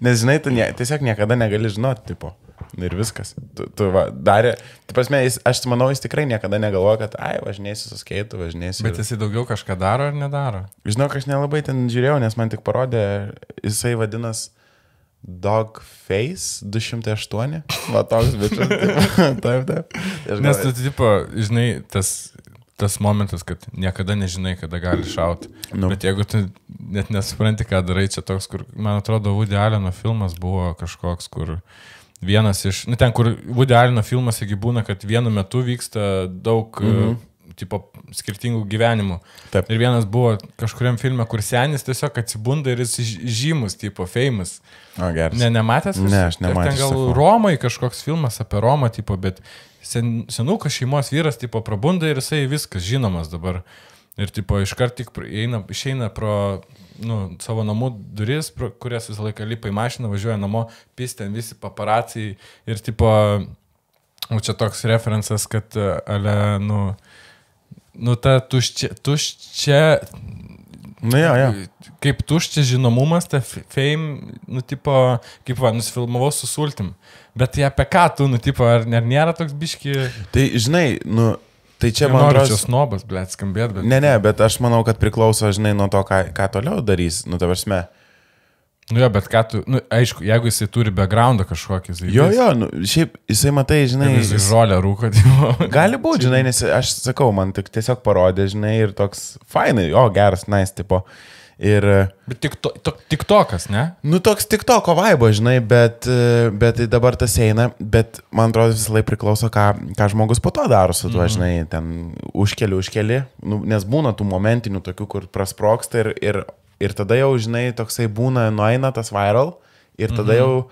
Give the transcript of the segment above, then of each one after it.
Nes, žinai, tu tiesiog niekada negali žinoti, tipo. Ir viskas. Tu darė. Tai prasme, aš manau, jis tikrai niekada negalvoja, kad, važinėsiu su skeitu, važinėsiu. Bet jisai daugiau kažką daro ar nedaro? Žinau, aš nelabai ten žiūrėjau, nes man tik parodė, jisai vadinas Dogface 208. Va, toks bičias. Taip. Nes tu, tipo, žinai, tas momentas, kad niekada nežinai, kada gali šauti. Bet jeigu tu net nesupranti, ką darai, čia toks, kur, man atrodo, Woody Alleno filmas buvo kažkoks, kur vienas iš, ten, kur Woody Alleno filmas, jeigu būna, kad vienu metu vyksta daug tipo, skirtingų gyvenimų. Taip. Ir vienas buvo kažkuriam filme, kur senis tiesiog atsibunda ir jis žymus, tipo, famous. O, geras. Nematęs? Ne, aš nematęs. Ten gal Romai kažkoks filmas apie Romą, tipo, bet senukas šeimos vyras, tipo, prabunda ir jisai viskas žinomas dabar. Ir, tipo, iškart tik išeina pro savo namų duris, kurias visą laiką lipa į mašiną, važiuoja namo, ten visi paparacijai. Ir, tipo, čia toks referencas, kad, ta tuščia, kaip tuščia žinomumas, ta fame, tipo, kaip nusifilmavau su sultim. Bet tai apie ką tu, tipo, ar nėra toks biški... Tai, žinai, tai čia man atrodo... Čia snobas, blėt, skambėt, bet... Ne, bet aš manau, kad priklauso, žinai, nuo to, ką toliau darys, ta prasme. Bet ką tu, aišku, jeigu jisai turi backgroundą kažkokį, jisai... Jo, šiaip jisai matai, žinai... Jisai žolę rūko, tipo... Gali būti, žinai, nes aš sakau, man tik tiesiog parodė, žinai, ir toks fainai, geras, nice, tipo... Ir... Bet tiktokas, ne? Toks tiktoko vaibo, žinai, bet dabar tas eina, bet man atrodo visą laiką priklauso, ką žmogus po to daro su tuo, žinai, ten užkeli, nes būna tų momentinių tokių, kur prasproksta ir tada jau, žinai, toksai būna, nueina tas viral ir tada jau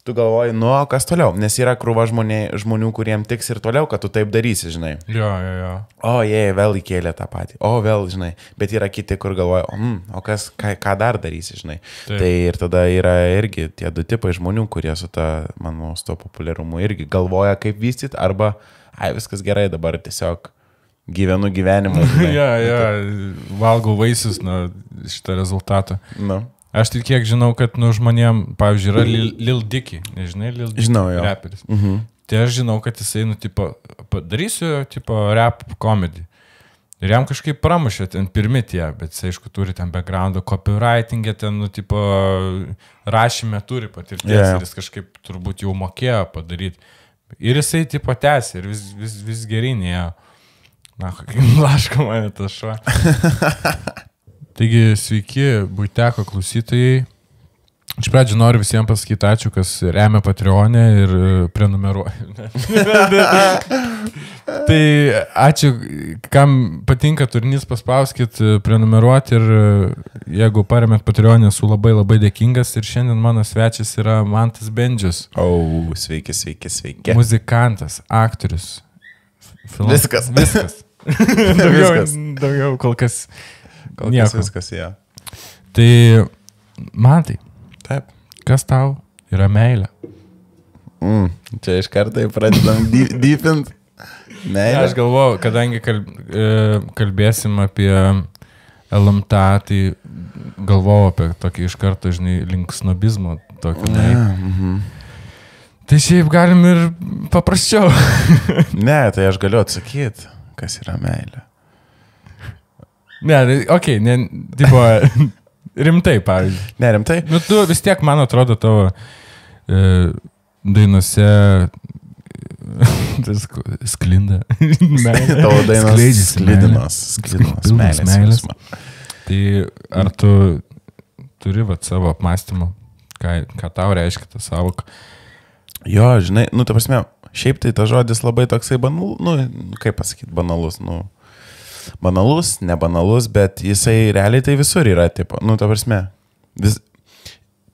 tu galvoji, kas toliau, nes yra krūva žmonių, kuriem tiks ir toliau, kad tu taip darysi, žinai. Jo. Vėl įkėlė tą patį, vėl, žinai, bet yra kiti, kur galvoja, ką dar darysi, žinai. Taip. Tai ir tada yra irgi tie du tipai žmonių, kurie su manau, su to populiarumu irgi galvoja, kaip vystyti, arba, viskas gerai, dabar tiesiog gyvenu gyvenimą. Valgau vaisius nuo šitą rezultatą. Aš tik kiek žinau, kad žmonėm, pavyzdžiui, yra Lil Dicky, nežinai, Lil Dicky, žinau, jo. Raperis. Tai aš žinau, kad jisai, padarysiu, rap komedį. Ir jam kažkaip pramušė ten pirmi tie, bet jisai, aišku, turi ten backgroundą, copywriting'e, ten, rašyme turi patirties ir jis kažkaip turbūt jau mokėjo padaryti. Ir jisai, tęsė ir vis gerinėjo. Laško mane tas šuo. Taigi, sveiki, Buiteko klausytojai. Iš pradžių noriu visiems pasakyti ačiū, kas remia Patreon'e ir prenumeruoja. Tai ačiū, kam patinka turinys, paspauskit prenumeruoti ir jeigu paremėt Patreon'e, esu labai dėkingas ir šiandien mano svečias yra Mantas Bendžius. Sveiki. Muzikantas, aktorius. Viskas. Daugiau kol kas. Viskas, jo. Tai, Mantai, taip. Kas tau yra meilė? Čia iš karto pradedam deepint. Meilė. Aš galvoju, kadangi kalbėsim apie LMTA, tai galvoju apie tokį iš karto, žinai, link snobizmo. Tai šiaip galim ir paprasčiau. Ne, tai aš galiu atsakyti, kas yra meilė. Ne, rimtai, pavyzdžiui. Ne, rimtai? Tu vis tiek, man atrodo, tavo dainose sklinda. Tavo dainos sklidinos. Tai ar tu turi savo apmąstymą, ką tau reiškia ta savoka? Jo, žinai, ta prasme, šiaip tai ta žodis labai toksai banalus, kaip pasakyti, banalus, nebanalus, bet jisai realiai tai visur yra, tipo, ta prasme,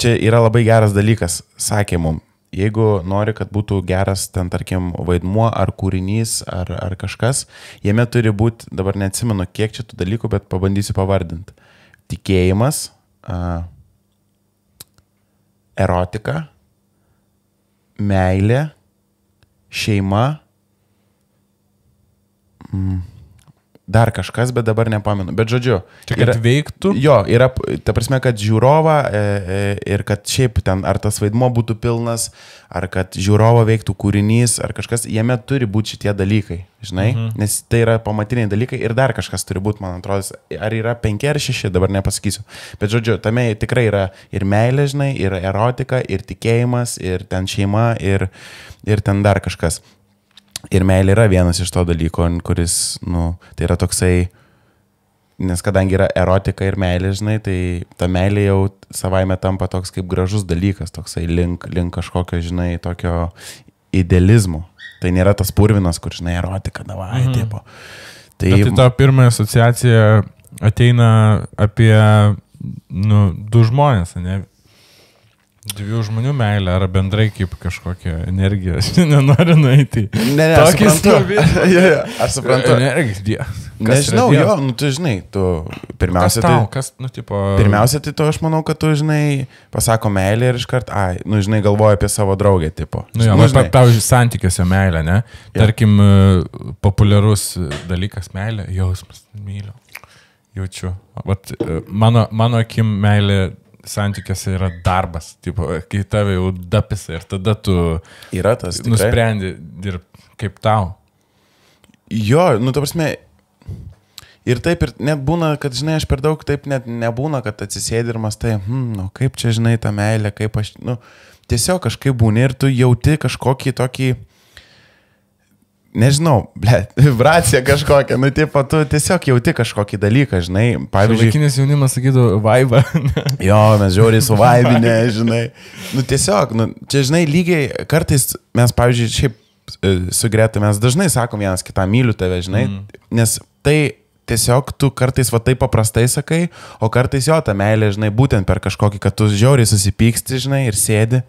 čia yra labai geras dalykas, sakė mum, jeigu nori, kad būtų geras ten, tarkim, vaidmuo ar kūrinys ar kažkas, jame turi būti, dabar neatsimenu, kiek čia tų dalykų, bet pabandysiu pavardinti. Tikėjimas, erotika, meilė, šeima, dar kažkas, bet dabar nepamenu. Bet žodžiu. Čia kad veiktų? Jo, yra, ta prasme, kad žiūrovą ir kad šiaip ten, ar tas vaidmo būtų pilnas, ar kad žiūrovą veiktų kūrinys, ar kažkas, jame turi būti šitie dalykai, žinai, nes tai yra pamatiniai dalykai ir dar kažkas turi būti, man atrodo, ar yra 5 ar 6, dabar nepasakysiu. Bet žodžiu, tame tikrai yra ir meilė, žinai, ir erotika, ir tikėjimas, ir ten šeima, ir ten dar kažkas. Ir meilė yra vienas iš to dalyko, kuris, tai yra toksai, nes kadangi yra erotika ir meilė, žinai, tai ta meilė jau savaime tampa toks kaip gražus dalykas, toksai link kažkokio, žinai, tokio idealizmo. Tai nėra tas purvinas, kur, žinai, erotika, davai, tipo. Tai ta pirma asociacija ateina apie, du žmonės, ne? 2 žmonių meilė, ar bendrai kaip kažkokia energija. Aš nenoriu nueiti. Ne, aš suprantu. Aš suprantu. Energija. Nežinau, jo, tu žinai, tu pirmiausia pirmiausia, tai tu, aš manau, kad tu, žinai, pasako meilė ir iškart, žinai, galvoja apie savo draugę, tipo. Pavyzdžiui, santykiuose meilė, ne? Tarkim, populiarus dalykas meilė, jausmas, myliu, jaučiu. Vat, mano akim meilė santykiuose yra darbas, tipo, kai tave jau dapisa ir tada tu nusprendi dirbti kaip tau. Jo, ta prasme, ir taip ir net būna, kad, žinai, aš per daug taip net nebūna, kad atsisėdi ir mastai, kaip čia, žinai, ta meilė, kaip aš, tiesiog kažkaip būni ir tu jauti kažkokį tokį, nežinau, vibracija kažkokia, tipo, tu tiesiog jauti kažkokį dalyką, žinai, pavyzdžiui. Šiuolaikinis jaunimas sakytų, vaibą. Jo, mes žiauriai suvaibinė, žinai. Tiesiog, čia, žinai, lygiai, kartais mes, pavyzdžiui, šiaip su Greta, mes dažnai sakom vienas kitą, myliu tave, žinai, nes tai tiesiog tu kartais va taip paprastai sakai, o kartais jo, ta meilė, žinai, būtent per kažkokį, kad tu žiauriai susipyksti, žinai, ir sėdi.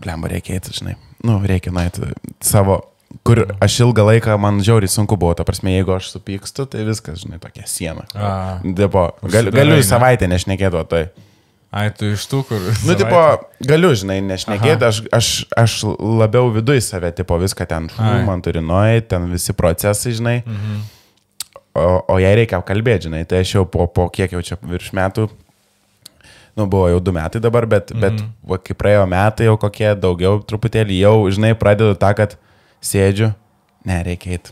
Blemba, reikia eiti, žinai, reikia nueiti savo... Kur aš ilgą laiką, man žiauriai sunku buvo, ta prasme, jeigu aš supykstu, tai viskas, žinai, tokia siena. Tipo, galiu savaitę nešnekėti, o tai. Tu iš tų, kur... Tipo, galiu, žinai, nešnekėti, aš labiau viduj save, tipo, viską ten, man turi nueiti, ten visi procesai, žinai, o jai reikia kalbėti, žinai, tai aš jau po kiek jau čia virš metų, buvo jau 2 metai dabar, bet va, kai praėjo metai, jau kokie daugiau truputėlį, jau, žinai, pradedu tą, kad sėdžiu, reikia eiti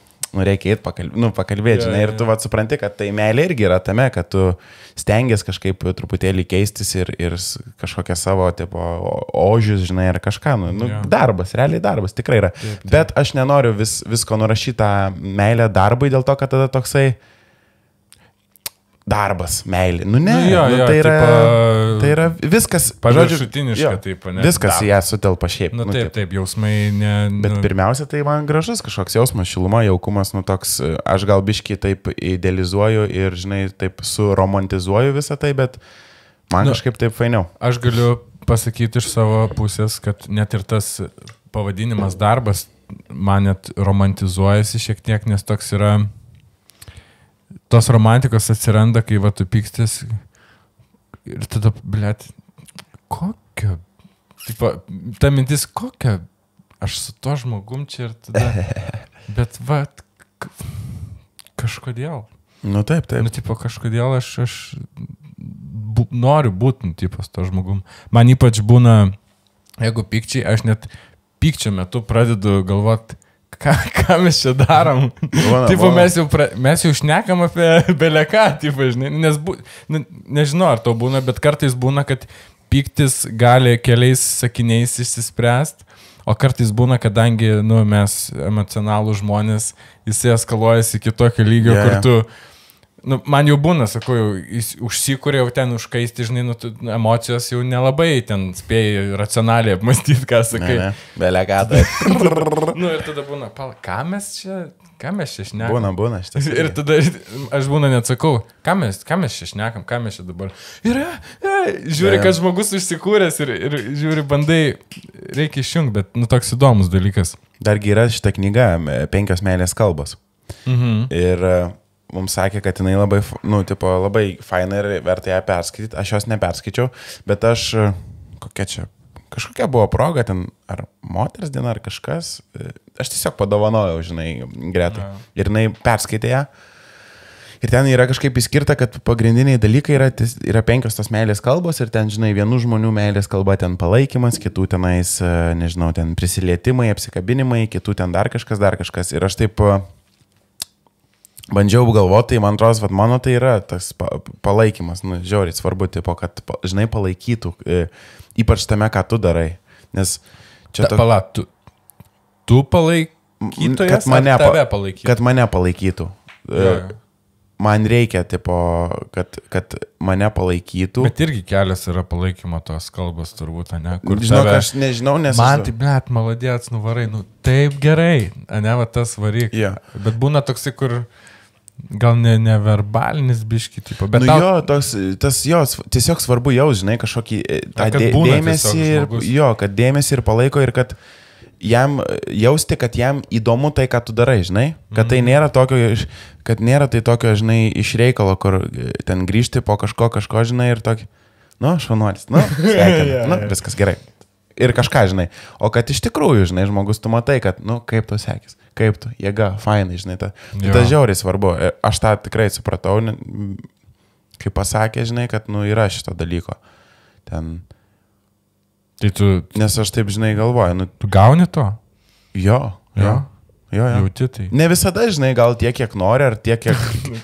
pakalbėti, žinai, ir tu vat supranti, kad tai meilė irgi yra tame, kad tu stengiasi kažkaip truputėlį keistis ir kažkokią savo, tipo, ožius, žinai, ar kažką, darbas, realiai darbas, tikrai yra. Taip. Bet aš nenoriu visko nurašyti tą meilę darbui, dėl to, kad tada toksai darbas, meilė. Tai yra viskas. Paviršutiniška, taip, ne? Viskas į ją sutelpa šiaip. Taip, jausmai ne... Bet pirmiausia, tai man gražus kažkoks jausmas, šiluma, jaukumas, toks, aš gal biškį taip idealizuoju ir, žinai, taip suromantizuoju visą tai, bet man kažkaip taip fainiau. Aš galiu pasakyti iš savo pusės, kad net ir tas pavadinimas darbas man net romantizuojasi šiek tiek, nes toks yra... Tos romantikos atsiranda, kai va tu pykstis ir tada, blėt, kokia, tipo, ta mintis, kokia, aš su to žmogum čia ir tada, bet va, kažkodėl. Taip. Tipo, kažkodėl aš noriu būti, tipo, su to žmogum. Man ypač būna, jeigu pykčiai, aš net pykčio metu pradedu galvoti, ką mes čia darom? Tipo, mes jau šnekam apie beleką, tipo, žinai, nes nežinau, ar to būna, bet kartais būna, kad pyktis gali keliais sakiniais išsispręsti, o kartais būna, kadangi, mes emocionalų žmonės, jisai eskaluojasi iki tokio lygio, kur tu, man jau būna, sakau, jau užsikūrė jau ten užkaisti, žinai, emocijos jau nelabai ten spėjai racionaliai apmastyti, ką sakai. Belekatai. Ir tada būna, ką mes čia šnekam? Būna šitas. Ir tada aš būna net sakau, ką mes čia šnekam, ką mes čia dabar. Ir žiūri, kad žmogus užsikūręs ir žiūri, bandai, reikia išjungti, bet toks įdomus dalykas. Dargi yra šita knyga, 5 meilės kalbos. Ir mums sakė, kad jinai labai, labai faina ir verta ją perskaityti. Aš jos neperskaičiau, bet aš, kažkokia buvo proga ten, ar moters diena, ar kažkas, aš tiesiog padovanojau, žinai, Gretai. Ir jinai perskaitė ją. Ir ten yra kažkaip įskirta, kad pagrindiniai dalykai yra 5 tos meilės kalbos ir ten, žinai, vienų žmonių meilės kalba ten palaikymas, kitų tenais, nežinau, ten prisilietimai, apsikabinimai, kitų ten dar kažkas. Ir aš taip bandžiau galvoti, tai man atrodo, kad mano tai yra tas palaikymas, nu, žiauriai svarbu, tipo, kad, žinai, palaikytų, ypač tame, ką tu darai. Nes čia tu palaikytojas, tave palaikytų? Kad mane palaikytų. Man reikia, tipo, kad mane palaikytų. Bet irgi kelias yra palaikymo tos kalbos, turbūt, ne? Kur žinau, aš nežinau, nes... Man tai, blet, maladėts, nuvarai, nu, taip gerai, ne, va tas varyk. Yeah. Bet būna toksai, kur gal neverbalinis biški, tipo, bet... Nu jo, tas jos, tiesiog svarbu jau, žinai, kažkokį tą dėmesį ir, kad dėmesį ir palaiko ir kad jam jausti, kad jam įdomu tai, ką tu darai, žinai, kad tai nėra tokio, žinai, iš reikalo, kur ten grįžti po kažko, žinai, ir tokį, nu, švanuolis, nu, sveikinu, nu, viskas gerai. Ir kažką, žinai, o kad iš tikrųjų, žinai, žmogus tu matai, kad, nu, kaip tu sekis, kaip tu, jėga, fainai, žinai, tas žiauriai svarbu. Aš tą tikrai supratau, kai pasakė, žinai, kad, nu, yra šito dalyko. Ten... Tai tu... Nes aš taip, žinai, galvoju, nu... Tu gauni to? Jo. Jauti tai. Ne visada, žinai, gal tiek, kiek nori, ar tiek, kiek...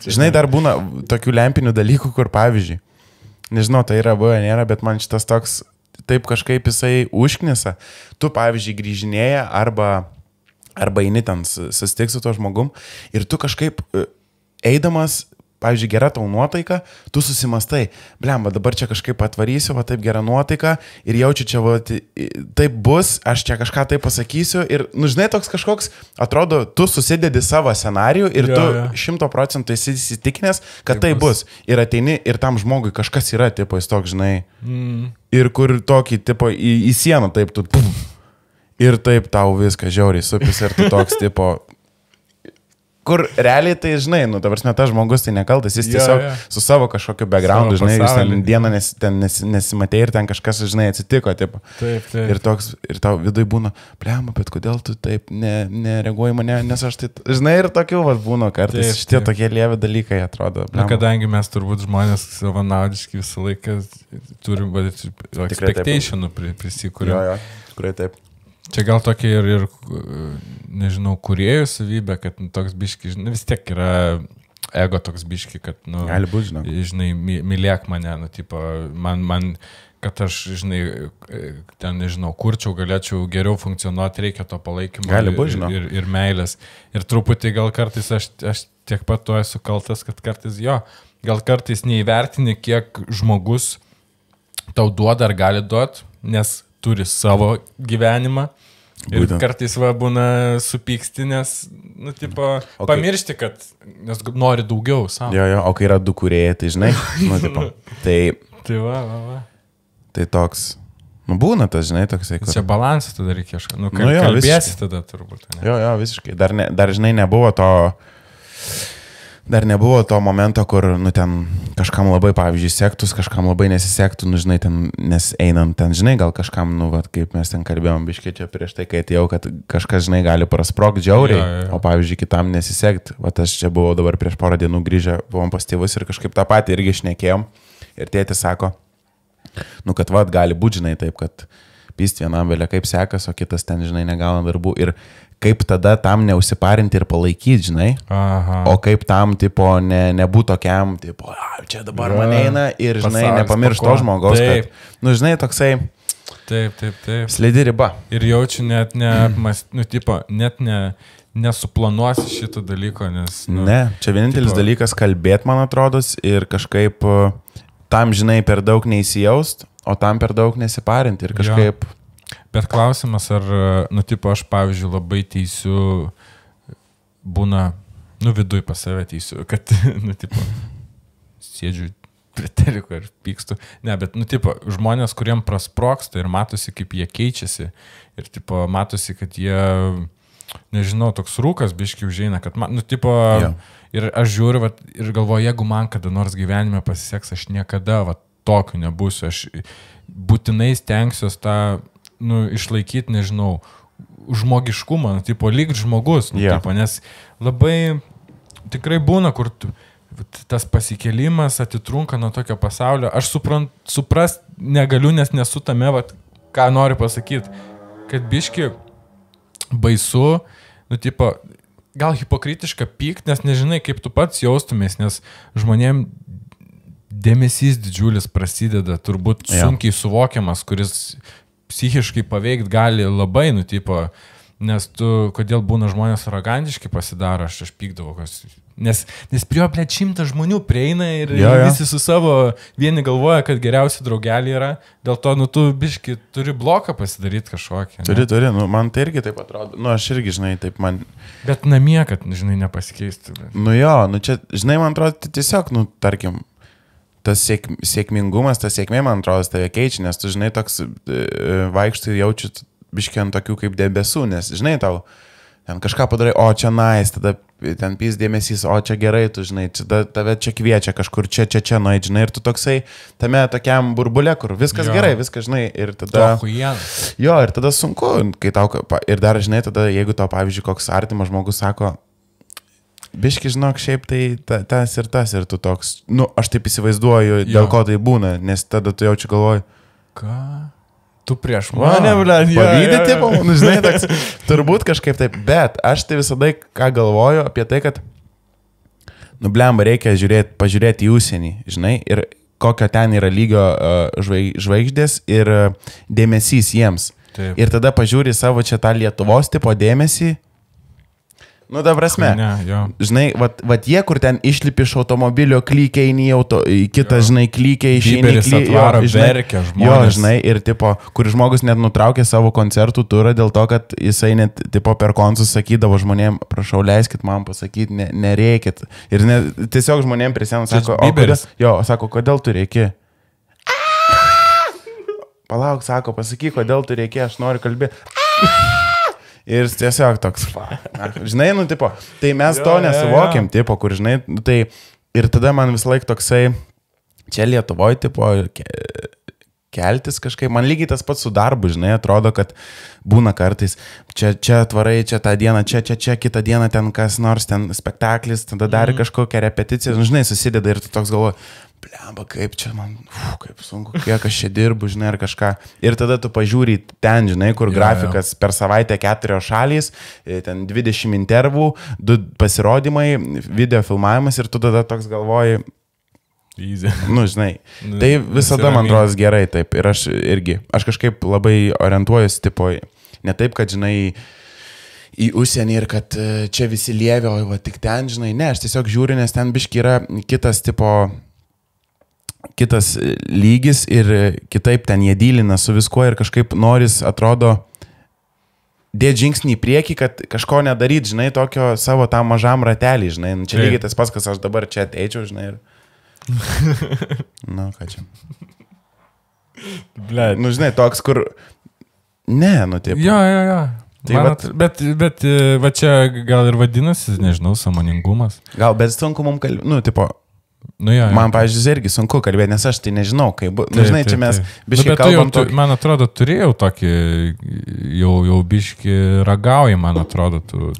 Žinai, dar būna tokių lempinių dalykų, kur, pavyzdžiui, nežinau, tai yra buvę, nėra, bet man šitas toks, taip kažkaip jisai užknisa. Tu, pavyzdžiui, grįžinėja arba eini ten susitiks su to žmogum ir tu kažkaip eidamas... Pavyzdžiui, gera tau nuotaika, tu susimastai, blemba, dabar čia kažkaip atvarysiu, va taip gera nuotaika ir jaučiu čia, va taip bus, aš čia kažką taip pasakysiu ir, nu žinai, toks kažkoks, atrodo, tu susidedi savo scenarijų ir tu 100% esi įsitikinęs, kad tai bus. Ir ateini ir tam žmogui kažkas yra, tipo, jis toks, žinai, ir kur tokį, tipo, į sieną taip, tu, ir taip tau viską žiauriai supis ir tu toks, tipo... Kur realiai tai, žinai, nu, ta prasme, tas žmogus tai nekaltas, jis tiesiog su savo kažkokiu backgroundu, žinai, jūs ten dieną nesimatė ir ten kažkas, žinai, atsitiko, tipo. Taip. Ir tau vidui būna, blema, bet kodėl tu taip nereaguoji mane, nes aš tai, žinai, ir tokių vat būna kartais, šitie tokie lievi dalykai atrodo. Na, kadangi mes turbūt žmonės savanaudiški visą laiką turim, expectationų prisikūrėm. Jo, tikrai taip. Čia gal tokia ir nežinau, kūrėjų savybė, kad toks biški, žinai, vis tiek yra ego toks biški, kad, nu, gali būt, žinai, mylėk mane, nu, tipo, man, kad aš, žinai, ten, nežinau, kurčiau, galėčiau geriau funkcionuoti, reikia to palaikymo ir meilės. Ir truputį gal kartais aš tiek pat to esu kaltas, kad kartais gal kartais neįvertini, kiek žmogus tau duoda ar gali duoti, nes turi savo gyvenimą ir kartais būna supyksti, nes, nu, tipo, pamiršti, kad, nes nori daugiau savo. Jo, o kai yra du kūrėjai, tai žinai, nu, tipo, tai va. Tai toks, nu, būna tas, žinai, toksai. Čia balansas tada reikia, nu, kalbėsi tada turbūt. Ne? Jo, visiškai. Dar, žinai, nebuvo to momento, kur, nu, ten kažkam labai, pavyzdžiui, sektus, kažkam labai nesisektų, nu, žinai, ten, nes einant ten, žinai, gal kažkam, nu, vat, kaip mes ten kalbėjom, biškiai čia prieš tai, kai atėjau, kad kažkas, žinai, gali prasprogti žiauriai, o, pavyzdžiui, kitam nesisekt. Vat aš čia buvau dabar prieš porą dienų grįžę, buvom pas tėvus ir kažkaip tą patį irgi šnekėjom. Ir tėtis sako, nu, kad, vat, gali būti, žinai, taip, kad pyst vienam vėlia kaip sekas, o kitas ten, žinai, negauna darbų. Ir kaip tada tam neusiparinti ir palaikyti, žinai. Aha. O kaip tam, tipo, nebūtų tokiam, tipo, čia dabar man eina ir, žinai, nepamiršt to žmogaus, kad, nu, žinai, toksai... Taip. Slidi riba. Ir jaučiu net nesuplanuosi šito dalyko, nes... Nu, ne, čia vienintelis dalykas kalbėti, man atrodo, ir kažkaip tam, žinai, per daug neįsijaust, o tam per daug nesiparinti ir kažkaip... Bet klausimas, ar, nu, tipo, aš, pavyzdžiui, labai teisiu, būna, nu, viduj pas save teisiu, kad, nu, tipo, sėdžiu prie teliko ir pykstu. Ne, bet, nu, tipo, žmonės, kuriem prasproksta ir matosi, kaip jie keičiasi ir, tipo, matosi, kad jie, nežinau, toks rūkas biški užeina, kad, nu, tipo, ir aš žiūriu, vat, ir galvoju, jeigu man kada nors gyvenime pasiseks, aš niekada, vat, tokiu nebūsiu, aš būtinai stengsiuos tą, nu, išlaikyti, nežinau, žmogiškumą, nu, tipo, lyg žmogus, nu, tipo, nes labai tikrai būna, kur tas pasikėlimas atitrunka nuo tokio pasaulio. Aš suprast negaliu, nes nesu tame, ką noriu pasakyti. Kad biški baisu, tipo, gal hipokritiška pykt, nes nežinai, kaip tu pats jaustumės, nes žmonėm dėmesys didžiulis prasideda, turbūt sunkiai suvokiamas, kuris psichiškai paveikt gali labai, tipo, nes kodėl būna žmonės arogantiški pasidaro, aš pykdavau, nes prie jo, 100 žmonių prieina ir visi su savo, vieni galvoja, kad geriausi draugeliai yra, dėl to, tu biški turi bloką pasidaryti kažkokį. Turi, man tai irgi taip atrodo, aš irgi, žinai, taip man... Bet namie, kad, žinai, nepasikeistų. Bet... čia, žinai, man atrodo, tiesiog, tarkim, tas sėkmingumas, tas sėkmė, man atrodo, tave keičia, nes tu, žinai, toks vaikštai jaučiu biškiai ant tokių kaip debesų, nes, žinai, tau ten kažką padarai, o čia nice, tada ten pys dėmesys, o čia gerai, tu, žinai, tave čia kviečia kažkur, čia, nueit, žinai, ir tu toksai tame tokiam burbule, kur viskas gerai, viskas, žinai, ir tada... ir tada sunku, kai tau, ir dar, žinai, tada, jeigu tau, pavyzdžiui, koks artimas žmogus sako, biški, žinok, šiaip tai tas, ir tu toks, aš taip įsivaizduoju, dėl ko tai būna, nes tada tu jaučiu galvoju, ką? Tu prieš mane, blėd, pavydė, tipo, žinai, toks, turbūt kažkaip taip, bet aš tai visada, ką galvoju apie tai, kad, blemba, reikia pažiūrėti į užsienį, žinai, ir kokio ten yra lygio žvaigždės ir dėmesys jiems. Taip. Ir tada pažiūri savo čia tą Lietuvos tipo dėmesį. Ta prasme, žinai, jie, kur ten išlipi iš automobilio, klykiai į kitą, žinai, klykiai išeini, žinai, ir tipo, kur žmogus net nutraukė savo koncertų turą dėl to, kad jisai net, tipo, per konsus sakydavo žmonėm, prašau, leiskit man pasakyti, nereikit. Ir tiesiog žmonėm prie sienos sako, kodėl tu reiki? Palauk, sako, pasakyk, kodėl tu reiki, aš noriu kalbėti. Ir tiesiog toks, žinai, tipo, tai mes to nesuvokiam, tipo, kur, žinai, tai ir tada man vis laik toksai, čia Lietuvoje, tipo, keltis kažkaip, man lygiai tas pats su darbu, žinai, atrodo, kad būna kartais, čia tvarai, čia tą dieną, čia kitą dieną ten kas nors, ten spektaklis, tada dar kažkokią repeticiją, žinai, susideda ir tu toks galvoji, blemba, kaip čia man, kaip sunku, kiek aš čia dirbu, žinai, ar kažką. Ir tada tu pažiūri ten, žinai, kur grafikas per savaitę 4 šalys, ten 20 intervų, 2 pasirodymai, video filmavimas ir tu tada toks galvoji, easy. Žinai, tai visada man atrodo gerai taip. Ir aš kažkaip labai orientuojuosi, tipo, ne taip, kad, žinai, į užsienį ir kad čia visi lievė, o tik ten, žinai, ne, aš tiesiog žiūriu, nes ten biški yra kitas lygis ir kitaip ten jie dylina su viskuo ir kažkaip noris, atrodo, dėti žingsnį į priekį, kad kažko nedaryt, žinai, tokio savo tam mažam ratelį, žinai, čia lygiai tas pats, kas aš dabar čia ateičiau, žinai, ir... ką čia? Blet. Žinai, toks, kur... Ne, taip. Jo. Tai bet va čia gal ir vadinasi, nežinau, sąmoningumas. Gal, bet sunku mums kalbėti, tipo... Man, pavyzdžiui, irgi sunku kalbėti, nes aš tai nežinau, kaip... žinai, čia mes biškai kalbam tokį... Man atrodo, turėjau tokį, jau biškai ragauji, man atrodo, tu...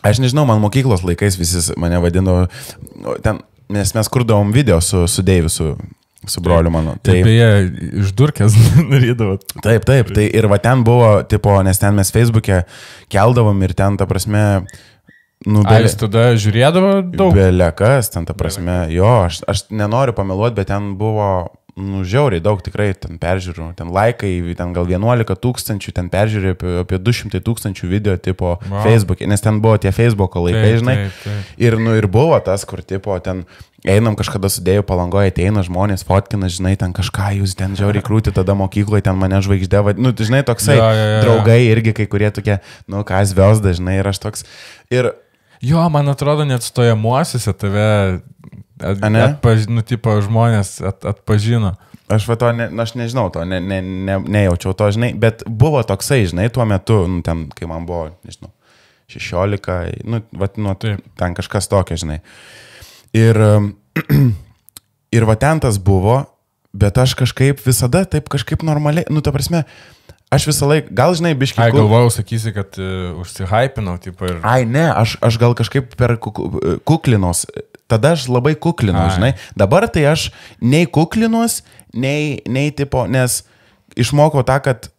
Aš nežinau, man mokyklos laikais visi mane vadino, ten, nes mes kurdavom video su Deiviu, su broliu mano. Tai beje, išdurkės darydavo. Taip, tai ir va ten buvo, tipo, nes ten mes Facebook'e keldavom ir ten, ta prasme... Jis tada žiūrėdavo daug? Belekas, ten ta prasme, aš nenoriu pameluoti, bet ten buvo, žiauriai daug tikrai ten peržiūrų, ten laikai, ten gal 11 000, ten peržiūrė apie 200 000 video tipo Facebook'e, nes ten buvo tie Facebook'o laikai, žinai. Taip. Ir buvo tas, kur tipo ten einam kažkada sudėjau Palangoje, ateina žmonės, fotkina, žinai, ten kažką jūs ten žiauriai krūti, tada mokykloje ten mane žvaigždė, žinai, toksai draugai irgi kai kurie tokie, ką zviosda, žinai, ir aš toks. Ir jo, man atrodo, net stojamuosiuose tave tipo žmonės atpažino. Aš nežinau to, nejaučiau to, žinai, bet buvo toksai, žinai, tuo metu, ten, kai man buvo, nežinau, 16, ten kažkas tokio, žinai. Ir va ten tas buvo, bet aš kažkaip visada taip kažkaip normaliai, ta prasme, aš visą laiką, gal žinai, biškai... galvojau, sakysi, kad užsihypinau, tipo ir... Ne, aš gal kažkaip per kuklinos, tada aš labai kuklinu, žinai. Dabar tai aš nei kuklinuos, nei tipo, nes išmokau tą, kad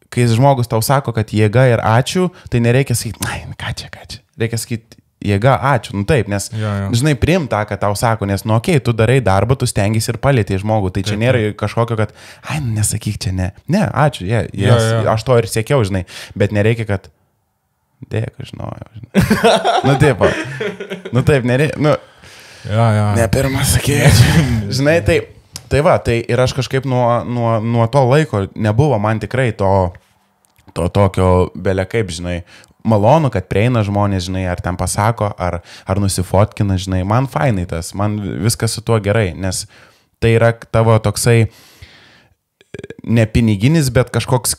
kai žmogus tau sako, kad jėga ir ačiū, tai nereikia sakyti, ką čia. Reikia sakyti, jėga, ačiū, nu taip, nes, žinai, priim tą, kad tau sako, nes, nu okei, tu darai darbą, tu stengiasi ir palėtėjai žmogų, tai čia nėra kažkokio, kad, nesakyk čia, ne, ačiū, aš to ir siekiau, žinai, bet nereikia, kad, dėkui, žinojau, žinai. Nu taip, nereikia, ne pirmas sakėjai, žinai, tai va, tai ir aš kažkaip nuo to laiko nebuvo man tikrai to tokio belekaip, žinai, malonu, kad prieina žmonės, žinai, ar ten pasako, ar nusifotkina, žinai, man fainai tas, man viskas su tuo gerai, nes tai yra tavo toksai ne piniginis, bet kažkoks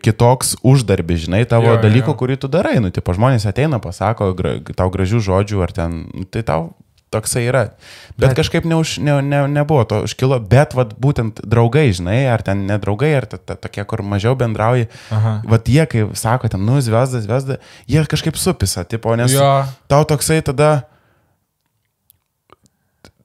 kitoks uždarbis, žinai, tavo dalyko, kurį tu darai, nu, tipo, žmonės ateina, pasako tau gražių žodžių, ar ten, tai tau toksai yra, bet kažkaip nebuvo to užkilo, bet vat būtent draugai, žinai, ar ten nedraugai, ar tokie, kur mažiau bendrauji, vat jie, kai sako, ten, nu, zvezda, jie kažkaip supisa, tipo, nes tau toksai tada,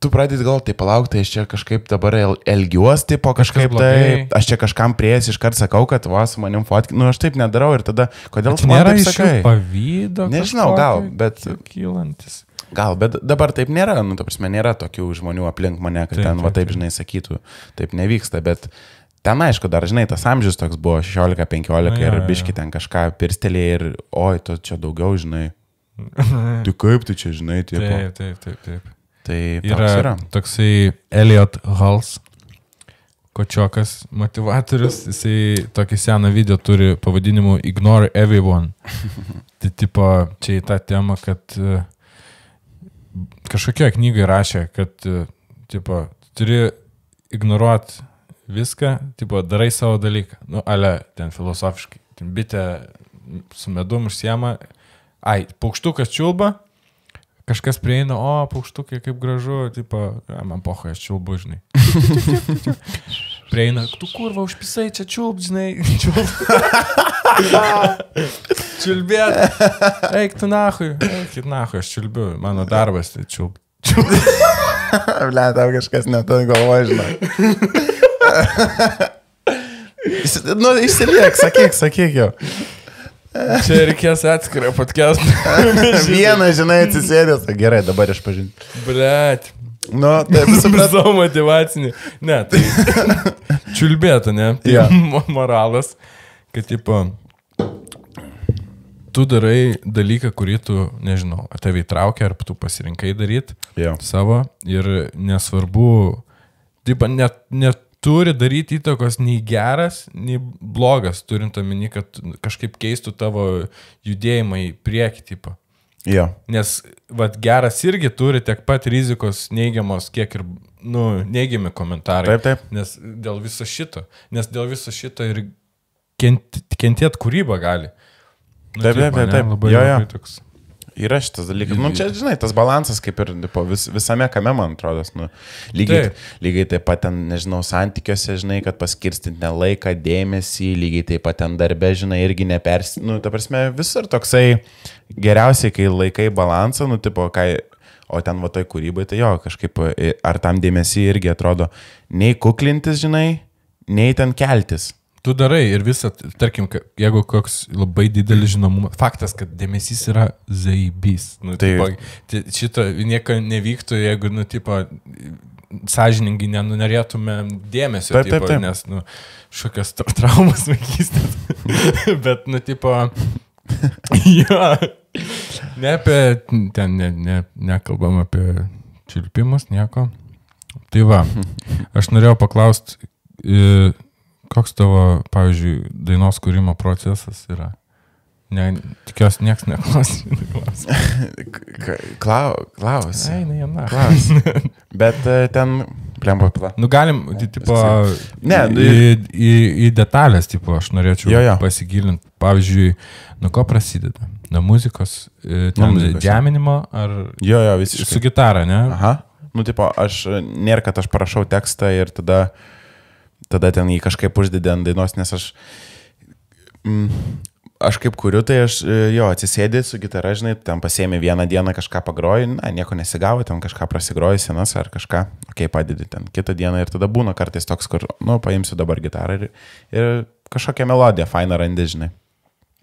tu pradėt gal, tai palauk, tai aš čia kažkaip dabar elgiuosi, tipo, kažkaip tai, aš čia kažkam prieės iškart sakau, kad va, su manim fotkinu, nu, aš taip nedarau ir tada, kodėl tu man taip sakai? Pavydo, nežinau, gal, bet... Kylantis. Gal, bet dabar taip nėra, nu, ta prasme, nėra tokių žmonių aplink mane, kad ten, va, taip, žinai, sakytų, taip nevyksta, bet ten, aišku, dar, žinai, tas amžius toks buvo 16-15 ir biški ten kažką pirstelė ir, oi, tu čia daugiau, žinai, tu kaip tu čia, žinai, tipo. Taip. Tai yra toksai Elliot Hulse, kočiokas motivatorius, jisai tokį seną video turi pavadinimu Ignore Everyone. Tai tipo, čia į tą temą, kad kažkokia knyga rašė, kad tipo, turi ignoruoti viską, tipo, darai savo dalyką. Nu, ale, ten filosofiškai. Ten bitė su medum užsiema, paukštukas čiulba, kažkas prieina, paukštukai kaip gražu, tipo, man pocha, aš čiulbu, žinai. Prieina, tu kurva, užpisai čia čiulb, žinai. Čiulbėt. Eik tu nahui, aš čiulbiu, mano darbas, tai čiulb. Ble, tau kažkas neturi galvoje, žinai. Nu, išsiliek, sakyk jau. Čia reikės atskirą podcastą. Vieną, žinai, atsisėdęs. Gerai, dabar išpažinti. Blet. Nu, taip, supratau. Savo motivacinį. Ne, tai čiulbėtų, ne? Tai moralas, kad, tipo, tu darai dalyką, kurį tu, nežinau, tave įtraukia, ar tu pasirinkai daryti savo ir nesvarbu, tipo, net turi daryti įtakos nei geras, nei blogas, turint omeny, kad kažkaip keistų tavo judėjimą į priekį, tipo. Jo. Nes, vat, geras irgi turi tiek pat rizikos neigiamos, kiek ir, nu, neigiami komentarai. Taip. Nes dėl viso šito ir kentėt kūrybą gali. Nu, taip. Labai toks. Yra šitas dalykas. Nu, čia, žinai, tas balansas kaip ir visame kame, man atrodo. Nu, lygiai taip pat ten, nežinau, santykiuose, žinai, kad paskirstinti laiką, dėmesį, lygiai taip pat ten darbe, žinai, irgi nu, ta prasme, visur toksai geriausiai, kai laikai balansą, nu, tipo, o ten va toj kūrybai, tai jo, kažkaip, ar tam dėmesį irgi atrodo, nei kuklintis, žinai, nei ten keltis. Tu darai ir visą, tarkim, jeigu koks labai didelis žinomumas, faktas, kad dėmesys yra zaibys. Nu, tipo, šito nieko nevyktų, jeigu, nu, tipo, sąžiningai nenorėtume dėmesio, taip. Nes, nu, šokios traumas vaikystės. Bet, nu, tipo, jo, nekalbam apie čiulpimus, nieko. Tai va, aš norėjau paklausti, koks tavo, pavyzdžiui, dainos kūrimo procesas yra? Tikiuosi, nieks neklausia. Klaus. Klaus. Bet ten, plemba pila. Nu, galim, tipo, į detalės, tipo, aš norėčiau pasigilinti. Pavyzdžiui, nuo ko prasideda? Nuo muzikos, džiaminimo ar visiškai. Su gitara, ne? Aha. Nu, tipo, nėra, kad aš parašau tekstą ir tada ten jį kažkaip uždėdė ant dainos, nes aš kaip kuriu, tai aš jo atsisėdė su gitara, žinai, ten pasėmė vieną dieną kažką pagroji, nieko nesigavo, ten kažką prasigroji senas ar kažką, padedi ten kitą dieną ir tada būna kartais toks, kur, paimsiu dabar gitarą ir kažkokią melodiją fainą randi, žinai.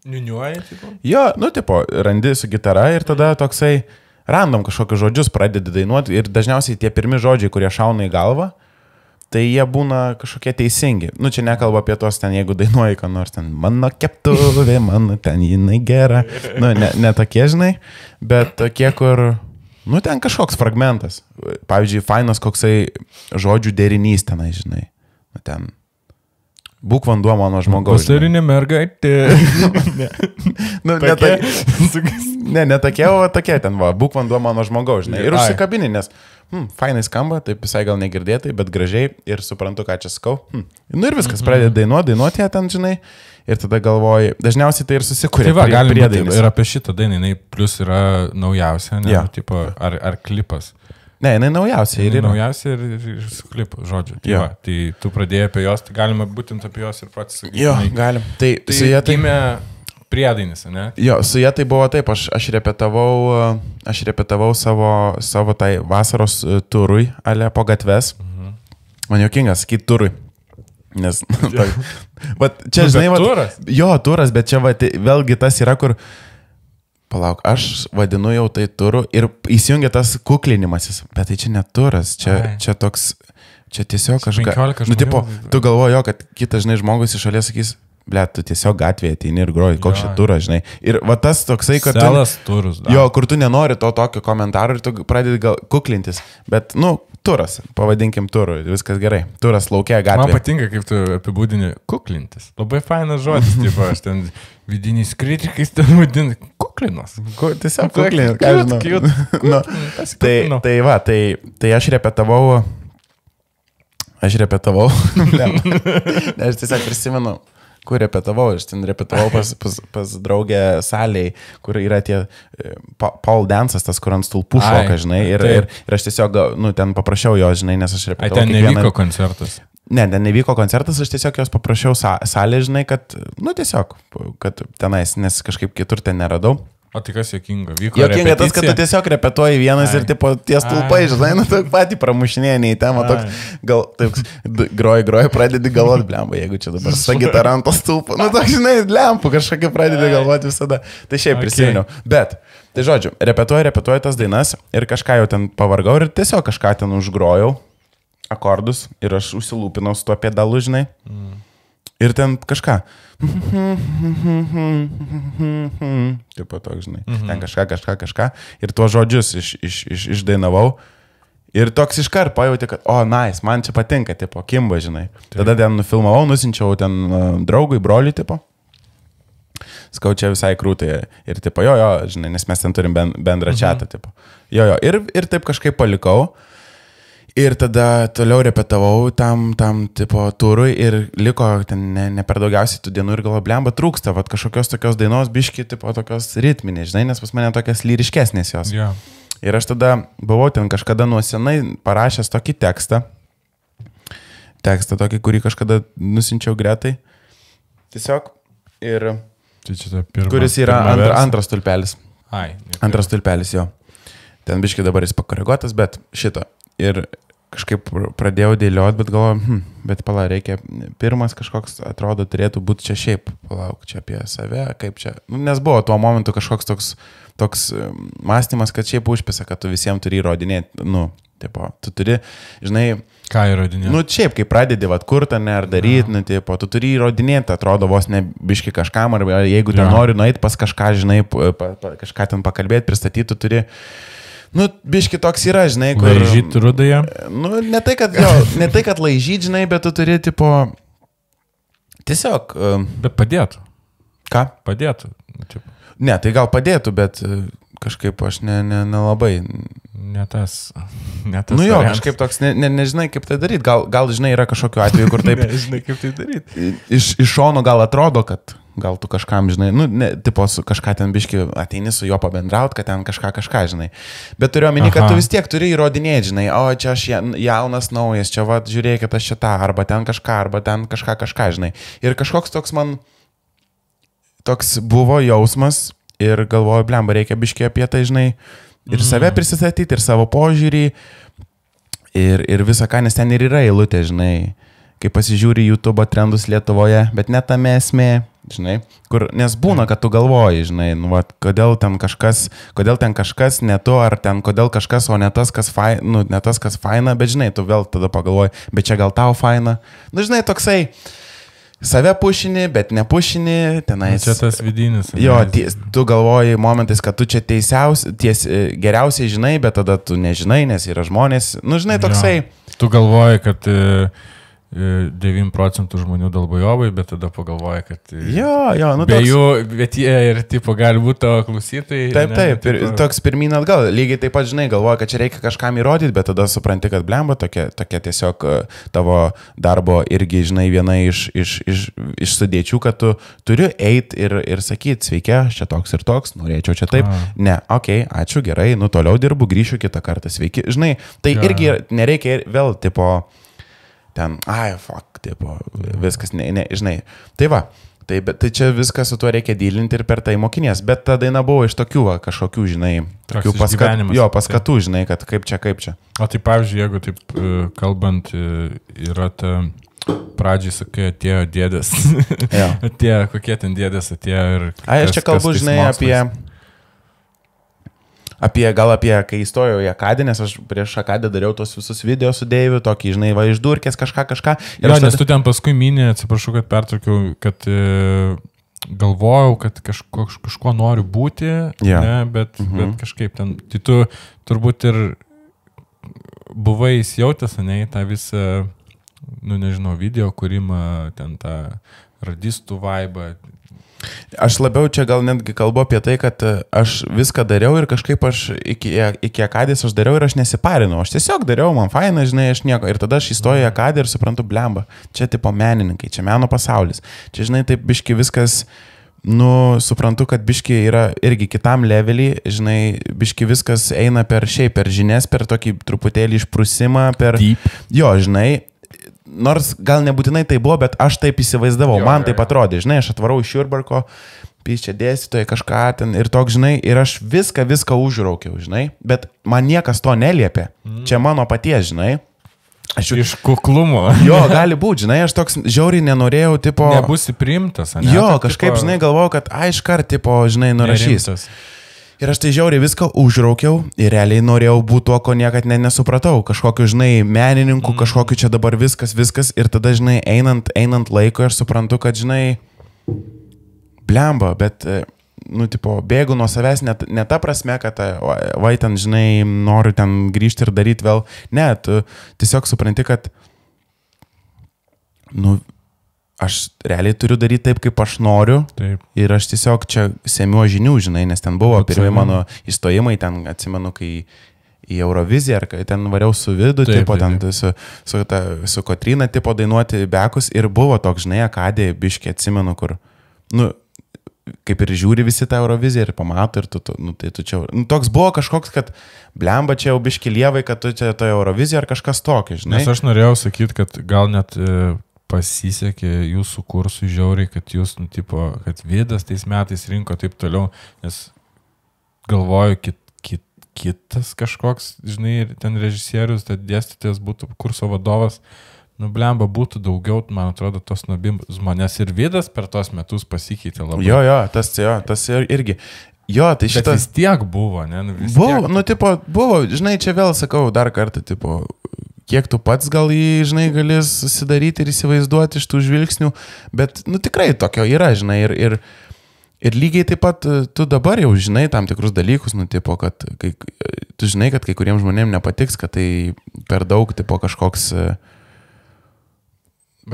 Niuniuoji, tipo? Jo, tipo, randi su gitara ir tada toksai random kažkokius žodžius pradedi dainuoti ir dažniausiai tie pirmi žodžiai, kurie šauna į galvą, tai jie būna kažkokie teisingi. Čia nekalba apie tos ten, jeigu dainuoji, ką nors ten, mano keptuvė, mano ten jinai gera. Ne tokie, žinai, bet tokie, kur, ten kažkoks fragmentas. Pavyzdžiui, fainas koksai žodžių derinys tenai, žinai. Ten, būk vanduo mano žmogaus. Vasarinė mergaitė. Ne tokie, o tokie ten, būk vanduo mano žmogaus, žinai. Ir užsikabini, nes fainai skamba, taip visai gal negirdėtai, bet gražiai ir suprantu, ką čia sakau. Ir viskas, pradedi dainuoti ją ten, žinai, ir tada galvoji, dažniausiai tai ir susikuria. Tai va, galim ir apie šitą dainą, jinai plus yra naujausia, ne, tipo, ar klipas. Ne, jinai naujausia ir yra. Naujausia ir su klipu, žodžiu. Tai tu pradėjai apie jos, tai galima būtent apie jos ir pats sakyti. Jo, galim. Tai su jie gimė priedainis, ne? Jo, su jie tai buvo taip, aš repetavau savo tai vasaros turui, ale po gatves. Man juokingas sakyti turui. Nes, čia žinai, turas? Jo, turas, bet čia vėlgi tas yra, kur, palauk, aš vadinu jau tai turu ir įsijungia tas kuklinimasis, bet tai čia ne turas, čia toks, čia tiesiog kažkas. Tipo, tu galvoji, kad kitas, žinai, žmogus iš šalies sakys, ble, tu tiesiog gatvėje ateini ir groji, koks čia turas, žinai. Ir va tas toksai, kad Selas turus, da. Jo, kur tu nenori to tokio komentaro ir tu pradedi gal kuklintis. Bet, turas, pavadinkim turu, viskas gerai. Turas laukia gatvėje. Man patinka, kaip tu apibūdini kuklintis. Labai fainas žodis, tipo, aš ten vidiniais kritikais ten vadinu kuklinos. Tiesiog kuklinis, ką žinau. Tai aš repetavau. Ne, aš tiesiog prisimenu, kur repetavau, aš ten repetavau pas draugę salėje, kur yra tie Paul Dance'as, tas, kur ant stulpų šoka, žinai, ir aš tiesiog, ten paprašiau jo, žinai, nes aš repetavau. Ten nevyko koncertas? Ne, nevyko koncertas, aš tiesiog jos paprašiau salėje, žinai, kad, tiesiog, kad tenais, nes kažkaip kitur ten neradau. O tai kas juokinga? Juokinga tas, kad tu tiesiog repetuoji vienas ir tipo tie stulpai, žinai, tu patį pramušinėjai į temą, toks, gal, taip, groji, pradedi galvoti, blemba, jeigu čia dabar su gitara ant to stulpo, toks, žinai, lempų kažkokį pradedi galvoti visada. Tai šiaip prisiminiau. Bet, tai žodžiu, repetuoju tas dainas ir kažką jau ten pavargau ir tiesiog kažką ten užgrojau, akordus ir aš užsilūpinau su tuo pedalu, žinai. Ir ten kažką. Tipo toks, žinai. Ten kažką. Ir tuos žodžius išdainavau. Ir toks iškart pajauti, kad, nice, man čia patinka, tipo, kimba, žinai. Tada ten nufilmavau, nusinčiau ten draugui, broliui, tipo. Skau čia visai krūtai. Ir tipo, jo, žinai, nes mes ten turim bendrą chatą, tipo. Jo. Ir taip kažkaip palikau. Ir tada toliau repetavau tam tipo turui ir liko ten ne per daugiausiai tų dienų ir galvoju, blemba, trūksta, vat kažkokios tokios dainos, biški, tipo tokios ritminės, žinai, nes pas mane tokias lyriškesnės jos. Yeah. Ir aš tada buvau ten kažkada nuo senai parašęs tokį tekstą tokį, kurį kažkada nusinčiau Gretai. Tiesiog ir kuris yra antras tulpelis. Antras tulpelis, jo. Ten biški dabar jis pakoreguotas, bet šito. Ir kažkaip pradėjau dėlioti, bet galvoju, bet reikia, pirmas kažkoks, atrodo, turėtų būti čia šiaip, palauk, čia apie save, kaip čia, nes buvo tuo momentu kažkoks toks mąstymas, kad šiaip užpisa, kad tu visiems turi įrodinėti, tipo, tu turi, žinai, ką įrodinėti? Šiaip, kai pradedi, kurtą, ne, ar daryti, tipo, tu turi įrodinėti, atrodo, vos ne biški kažkam, ar jeigu ten nori nueiti pas kažką, žinai, kažką ten pakalbėti, pristatyti, tu turi... biški toks yra, žinai, kur... Laižyti rudąją? Ne tai, kad laižyti, žinai, bet tu turi, tipo... Tiesiog... Bet padėtų. Ką? Padėtų. Ne, tai gal padėtų, bet kažkaip aš nelabai... Ne tas jo, kažkaip toks, nežinai, kaip tai daryti. Gal, žinai, yra kažkokiu atveju, kur taip... Nežinai, kaip tai daryti. Iš šono gal atrodo, kad... Gal tu kažkam, žinai, tipo, kažką ten biški ateini su juo pabendraut, kad ten kažką, žinai. Bet turiu omeny, kad tu vis tiek turi įrodinėti, žinai, čia aš jaunas, naujas, čia, žiūrėkit, aš čia tą, arba ten kažką, žinai. Ir kažkoks toks man toks buvo jausmas ir galvoju, blemba, reikia biškiai apie tai, žinai, ir save prisistatyti, ir savo požiūrį, ir visą ką, nes ten ir yra eilutė, žinai, kai pasižiūri YouTube trendus Lietuvoje, bet net tame esmė, žinai, kur, nes būna, kad tu galvoji, žinai, nu, va, kodėl ten kažkas ne tu, ar ten kodėl kažkas, o ne tas, kas faina, nu, ne tas, kas faina, bet žinai, tu vėl tada pagalvoji, bet čia gal tau faina, nu, žinai, toksai, save pušini, bet nepušini, tenais. Čia tas vidinis. Jo, tu galvoji momentais, kad tu čia geriausiai žinai, bet tada tu nežinai, nes yra žmonės, nu, žinai, toksai. Jo. Tu galvoji, kad 9% žmonių dalbojovai, bet tada pagalvoja, kad nu, be jų, bet jie ir tipo gali būti tavo klausytojai. Taip, toks pirmyn atgal. Lygiai taip pat, žinai, galvoja, kad čia reikia kažkam įrodyti, bet tada supranti, kad blemba tokia tiesiog tavo darbo irgi, žinai, viena iš sudėčių, kad tu turi eiti ir sakyti, sveiki, aš čia toks ir toks, norėčiau čia taip. Ne, okei, ačiū, gerai, nu toliau dirbu, grįšiu kitą kartą, sveiki. Žinai, tai irgi nereikia vėl, tipo, ten, tipo, viskas, žinai. Tai va, tai čia viskas su tuo reikia dylinti ir per tai mokinės, bet ta daina buvo iš tokių, kažkokių, žinai, tokių paskatų, žinai, kad kaip čia. O tai pavyzdžiui, jeigu taip kalbant, yra ta pradžiai, sakai, atėjo dėdės, atėjo, kokie ten dėdės atėjo ir... Aš čia kalbu, žinai, apie, kai įstojau į Akadę, nes aš prieš Akadę dariau tos visus video su Deiviu, tokį, žinai, va, išdurkės kažką. Jo, nes tu ten paskui minė, atsiprašau, kad pertraukiau, kad galvojau, kad kažko noriu būti, ne, bet kažkaip ten, tai tu turbūt ir buvai įsijautęs, ne, tą visą, nu nežinau, video kūrimą, ten tą radistų vaibą. Aš labiau čia gal netgi kalbu apie tai, kad aš viską dariau ir kažkaip aš iki Akadės aš dariau ir aš nesiparinau. Aš tiesiog dariau, man faina, žinai, aš nieko. Ir tada aš įstojau į Akadę ir suprantu, blemba, čia tipo menininkai, čia meno pasaulis. Čia, žinai, taip biški viskas, nu, suprantu, kad biški yra irgi kitam levelį, žinai, biški viskas eina per žinias, per tokį truputėlį išprusimą, per... Deep. Jo, žinai, nors gal nebūtinai tai buvo, bet aš taip įsivaizdavau, man taip atrodė, žinai, aš atvarau iš Jurbarko, čia dėstytojai kažką ten ir toks, žinai, ir aš viską užraukiau, žinai, bet man niekas to neliepė, čia mano paties, žinai. Iš kuklumo. Jo, gali būti, žinai, aš toks žiauriai nenorėjau, tipo... Nebūsi priimtas, ne? Jo, kažkaip, žinai, galvojau, kad aiškart, tipo, žinai, nurašys. Nerimtas. Ir aš tai žiauriai viską užraukiau ir realiai norėjau būti tuo, ko niekad nesupratau. Kažkokiu, žinai, menininku, kažkokiu čia dabar viskas. Ir tada, žinai, einant laiko aš suprantu, kad, žinai, blemba, bet, nu, tipo, bėgu nuo savęs ne ta prasme, kad, vai ten, žinai, noriu ten grįžti ir daryti vėl. Ne, tu tiesiog supranti, kad, nu, aš realiai turiu daryti taip, kaip aš noriu. Taip. Ir aš tiesiog čia semiu žinių, žinai, nes ten buvo pirmie mano įstojimai, ten atsimenu, kai į Euroviziją, ar kai ten variau su Vidu, tipo, ten su Kotryna, tipo, dainuoti bekus ir buvo toks, žinai, Akadė, biškiai atsimenu, kur, nu, kaip ir žiūri visi tą Euroviziją ir pamato ir tai tu čia, nu, toks buvo kažkoks, kad blemba čia jau biški lievai, kad tu čia toje Euroviziją ar kažkas tokio, žinai. Nes aš norėjau sakyti, kad gal net pasisekė jūsų kursų žiauriai, kad jūs, nu, tipo, kad Vidas tais metais rinko taip toliau, nes galvoju, kitas kažkoks, žinai, ten režisierius, tai dėstytojas būtų kurso vadovas, nu, blemba, būtų daugiau, man atrodo, tos nobizmo, nes ir Vidas per tos metus pasikeitė labai. Jo, tas irgi. Jo, tai šitas... Bet vis tiek buvo, ne? Buvo, nu, tipo, buvo, žinai, čia vėl sakau dar kartą, tipo, kiek tu pats gal jį, žinai, gali susidaryti ir įsivaizduoti iš tų žvilgsnių, bet, nu, tikrai tokio yra, žinai, ir lygiai taip pat tu dabar jau žinai tam tikrus dalykus, nu, tipo, kad tu žinai, kad kai kuriems žmonėms nepatiks, kad tai per daug, tipo, kažkoks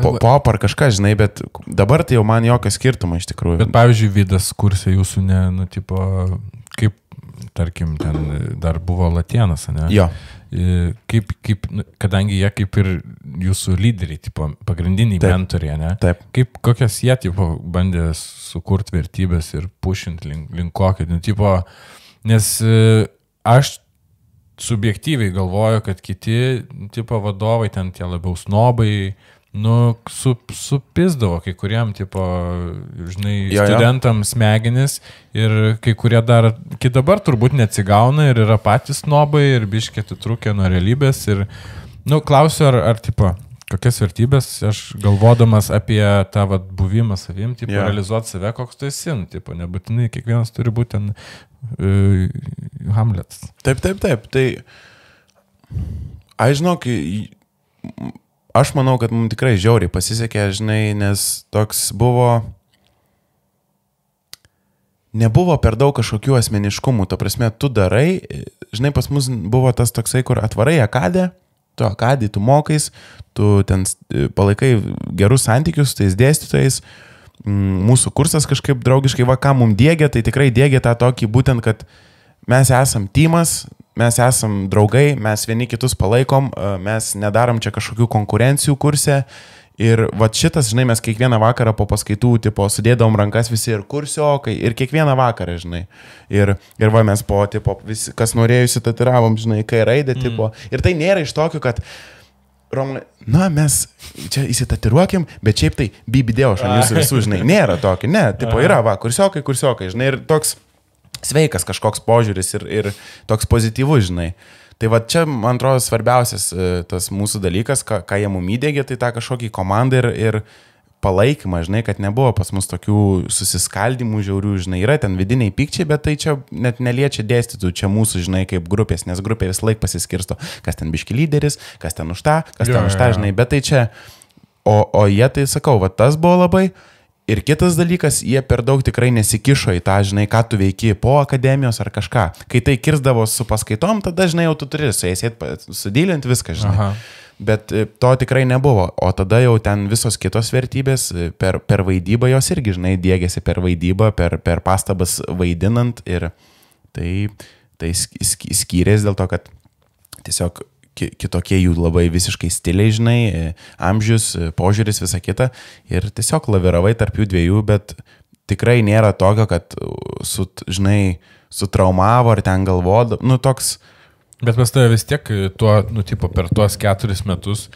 pop ar kažką, žinai, bet dabar tai jau man jokio skirtumo iš tikrųjų. Bet, pavyzdžiui, Vidas kursė jūsų, ne, nu, tipo, kaip, tarkim, ten dar buvo Latėnas, ne? Jo. Kaip, kadangi jie kaip ir jūsų lyderiai, tipo, pagrindiniai mentoriai, ne? Taip. Kaip, kokias jie, tipo, bandė sukurti vertybės ir pušinti link kokio, nu, tipo, nes aš subjektyviai galvoju, kad kiti, tipo, vadovai, ten tie labiau snobai, supizdavo kai kuriem, tipo, žinai, studentams smegenis ir kai kurie dar, kai dabar turbūt neatsigauna ir yra patys snobai ir biškiai atitrūkę nuo realybės ir, klausiu, ar tipo, kokias vertybės aš galvodamas apie tą buvimą savim, tipo, realizuoti save, koks tu esi, tipo, nebūtinai kiekvienas turi būti ten Hamletas. Taip, tai aš žinok, aš manau, kad mums tikrai žiauriai pasisekė, žinai, nes toks nebuvo per daug kažkokių asmeniškumų, ta prasme, tu darai, žinai, pas mus buvo tas toksai, kur atvarai akadę, tu mokais, tu ten palaikai gerus santykius su tais dėstytojais, mūsų kursas kažkaip draugiškai, ką mums dėgia, tai tikrai dėgia tą tokį būtent, kad mes esam tymas, mes esam draugai, mes vieni kitus palaikom, mes nedarom čia kažkokių konkurencijų kurse ir šitas, žinai, mes kiekvieną vakarą po paskaitų, tipo, sudėdavom rankas visi ir kursiokai, ir kiekvieną vakarą, žinai, ir mes visi, kas norėjusi, tatiravom, žinai, kai raidę, tipo, ir tai nėra iš tokių, kad mes čia įsitatiruokim, bet šiaip tai bibidėjau aš ant jūsų visų, žinai, nėra tokio, ne, tipo, yra, kursiokai, žinai, ir toks sveikas kažkoks požiūris ir toks pozityvus, žinai. Tai čia, man atrodo, svarbiausias tas mūsų dalykas, ką jie mum įdėgė, tai tą kažkokį komandą ir palaikymą, žinai, kad nebuvo pas mus tokių susiskaldimų žiaurių, žinai, yra ten vidiniai pykčiai, bet tai čia net neliečia dėstytų, čia mūsų, žinai, kaip grupės, nes grupė vis laik pasiskirsto, kas ten biški lyderis, kas ten už tą, žinai, bet tai čia, o jie tai sakau, tas buvo labai. Ir kitas dalykas, jie per daug tikrai nesikišo į tą, žinai, ką tu veiki po akademijos ar kažką. Kai tai kirsdavo su paskaitom, tada, žinai, jau tu turi su jais sudylinti viską, žinai. Aha. Bet to tikrai nebuvo. O tada jau ten visos kitos vertybės per vaidybą jos irgi, žinai, dėgėsi per vaidybą, per pastabas vaidinant. Ir tai skyrės dėl to, kad tiesiog kitokie jų labai visiškai stiliai, žinai, amžius, požiūris, visa kita. Ir tiesiog laviravai tarp jų dviejų, bet tikrai nėra tokio, kad, žinai, sutraumavo ar ten galvodo, toks. Bet pas tave vis tiek per tuos 4 metus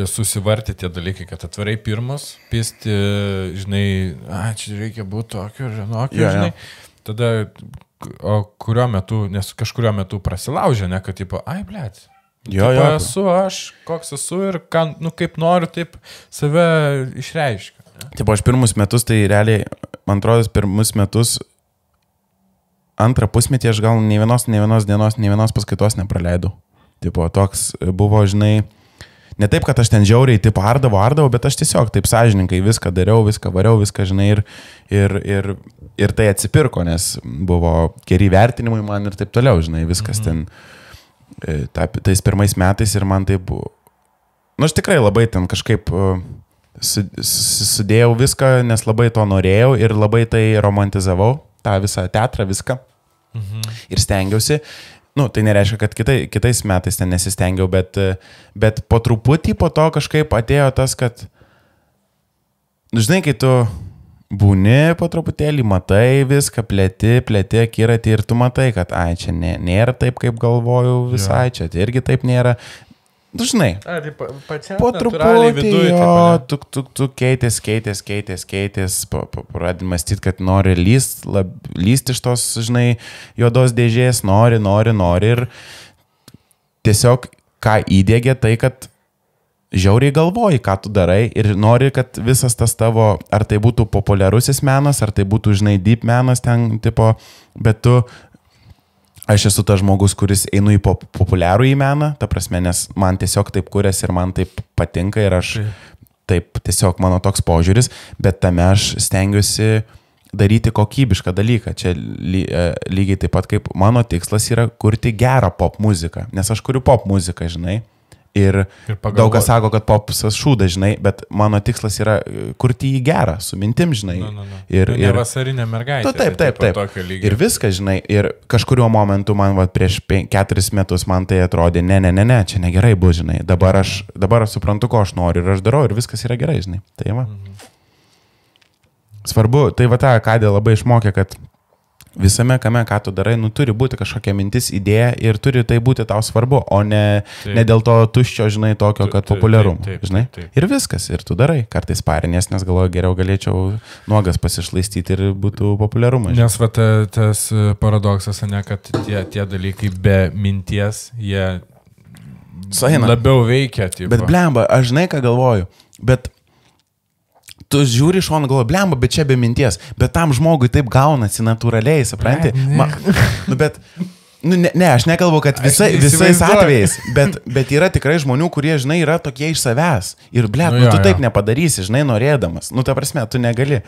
susivarti tie dalykai, kad atvarai pirmas, pisti, žinai, čia reikia būti tokio, žinai. Tada, o kuriuo metu, nes kažkuriuo metu prasilaužė, ne, kad blėt. Esu aš, koks esu ir kaip noriu, taip save išreiškiu. Taip, aš pirmus metus, tai realiai, man atrodo, pirmus metus, antrą pusmetį aš gal nei vienos dienos, nei vienos paskaitos nepraleidau. Tipo, toks buvo, žinai, ne taip, kad aš ten žiauriai, tipo, ardavau, bet aš tiesiog taip sąžininkai viską dariau, viską variau, viską, žinai, ir tai atsipirko, nes buvo geri vertinimai man ir taip toliau, žinai, viskas ten. Tais pirmais metais ir man tai buvo, aš tikrai labai ten kažkaip sudėjau viską, nes labai to norėjau ir labai tai romantizavau, tą visą teatrą, viską. Ir stengiausi, tai nereiškia, kad kitais metais ten nesistengiau, bet po truputį po to kažkaip atėjo tas, kad, žinai, kai tu būni po truputėlį, matai viską, plėti akiratį ir tu matai, kad čia nėra taip, kaip galvojau visai, čia irgi taip nėra. Žinai, po truputį tu keitės, pradedi mąstyti, kad nori lysti iš tos, žinai, juodos dėžės, nori ir tiesiog ką įdėgė tai, kad žiauriai galvoji, ką tu darai ir nori, kad visas tas tavo, ar tai būtų populiarusis menas, ar tai būtų, žinai, deep menas ten, tipo, bet aš esu tas žmogus, kuris einu į populiarų į meną, ta prasme, nes man tiesiog taip kurias ir man taip patinka ir aš taip tiesiog mano toks požiūris, bet tame aš stengiuosi daryti kokybišką dalyką. Čia lygiai taip pat kaip mano tikslas yra kurti gerą pop muziką, nes aš kuriu pop muziką, žinai. Ir daug kas sako, kad popsas šūda, žinai, bet mano tikslas yra kurti jį gerą, su mintim, žinai. Ir vasarinė mergaitė. Taip. Ir viską, žinai. Ir kažkuriuo momentu man prieš 4 metus man tai atrodė, ne, čia negerai bus, žinai. Dabar aš suprantu, ko aš noriu ir aš darau ir viskas yra gerai, žinai. Tai va. Svarbu, tai va ta akadė labai išmokė, kad visame kame, ką tu darai, turi būti kažkokia mintis, idėja ir turi tai būti tau svarbu, o ne dėl to tuščio, žinai, tokio, kad populiarumo, žinai. Ir viskas, ir tu darai. Kartais parinės, nes galvoju, geriau galėčiau nuogas pasišlaistyti ir būtų populiarumas. Nes va tas paradoksas, ne, kad tie dalykai be minties, jie labiau veikia. Tipo. Bet blemba, aš žinai, ką galvoju, bet tu žiūri iš šono, galvoji, blemba, bet čia be minties, bet tam žmogui taip gaunasi natūraliai, supranti? Aš nekalbu, kad visais atvejais, bet yra tikrai žmonių, kurie, žinai, yra tokie iš savęs. Ir, tu taip nepadarysi, žinai, norėdamas. Ta prasme, tu negali.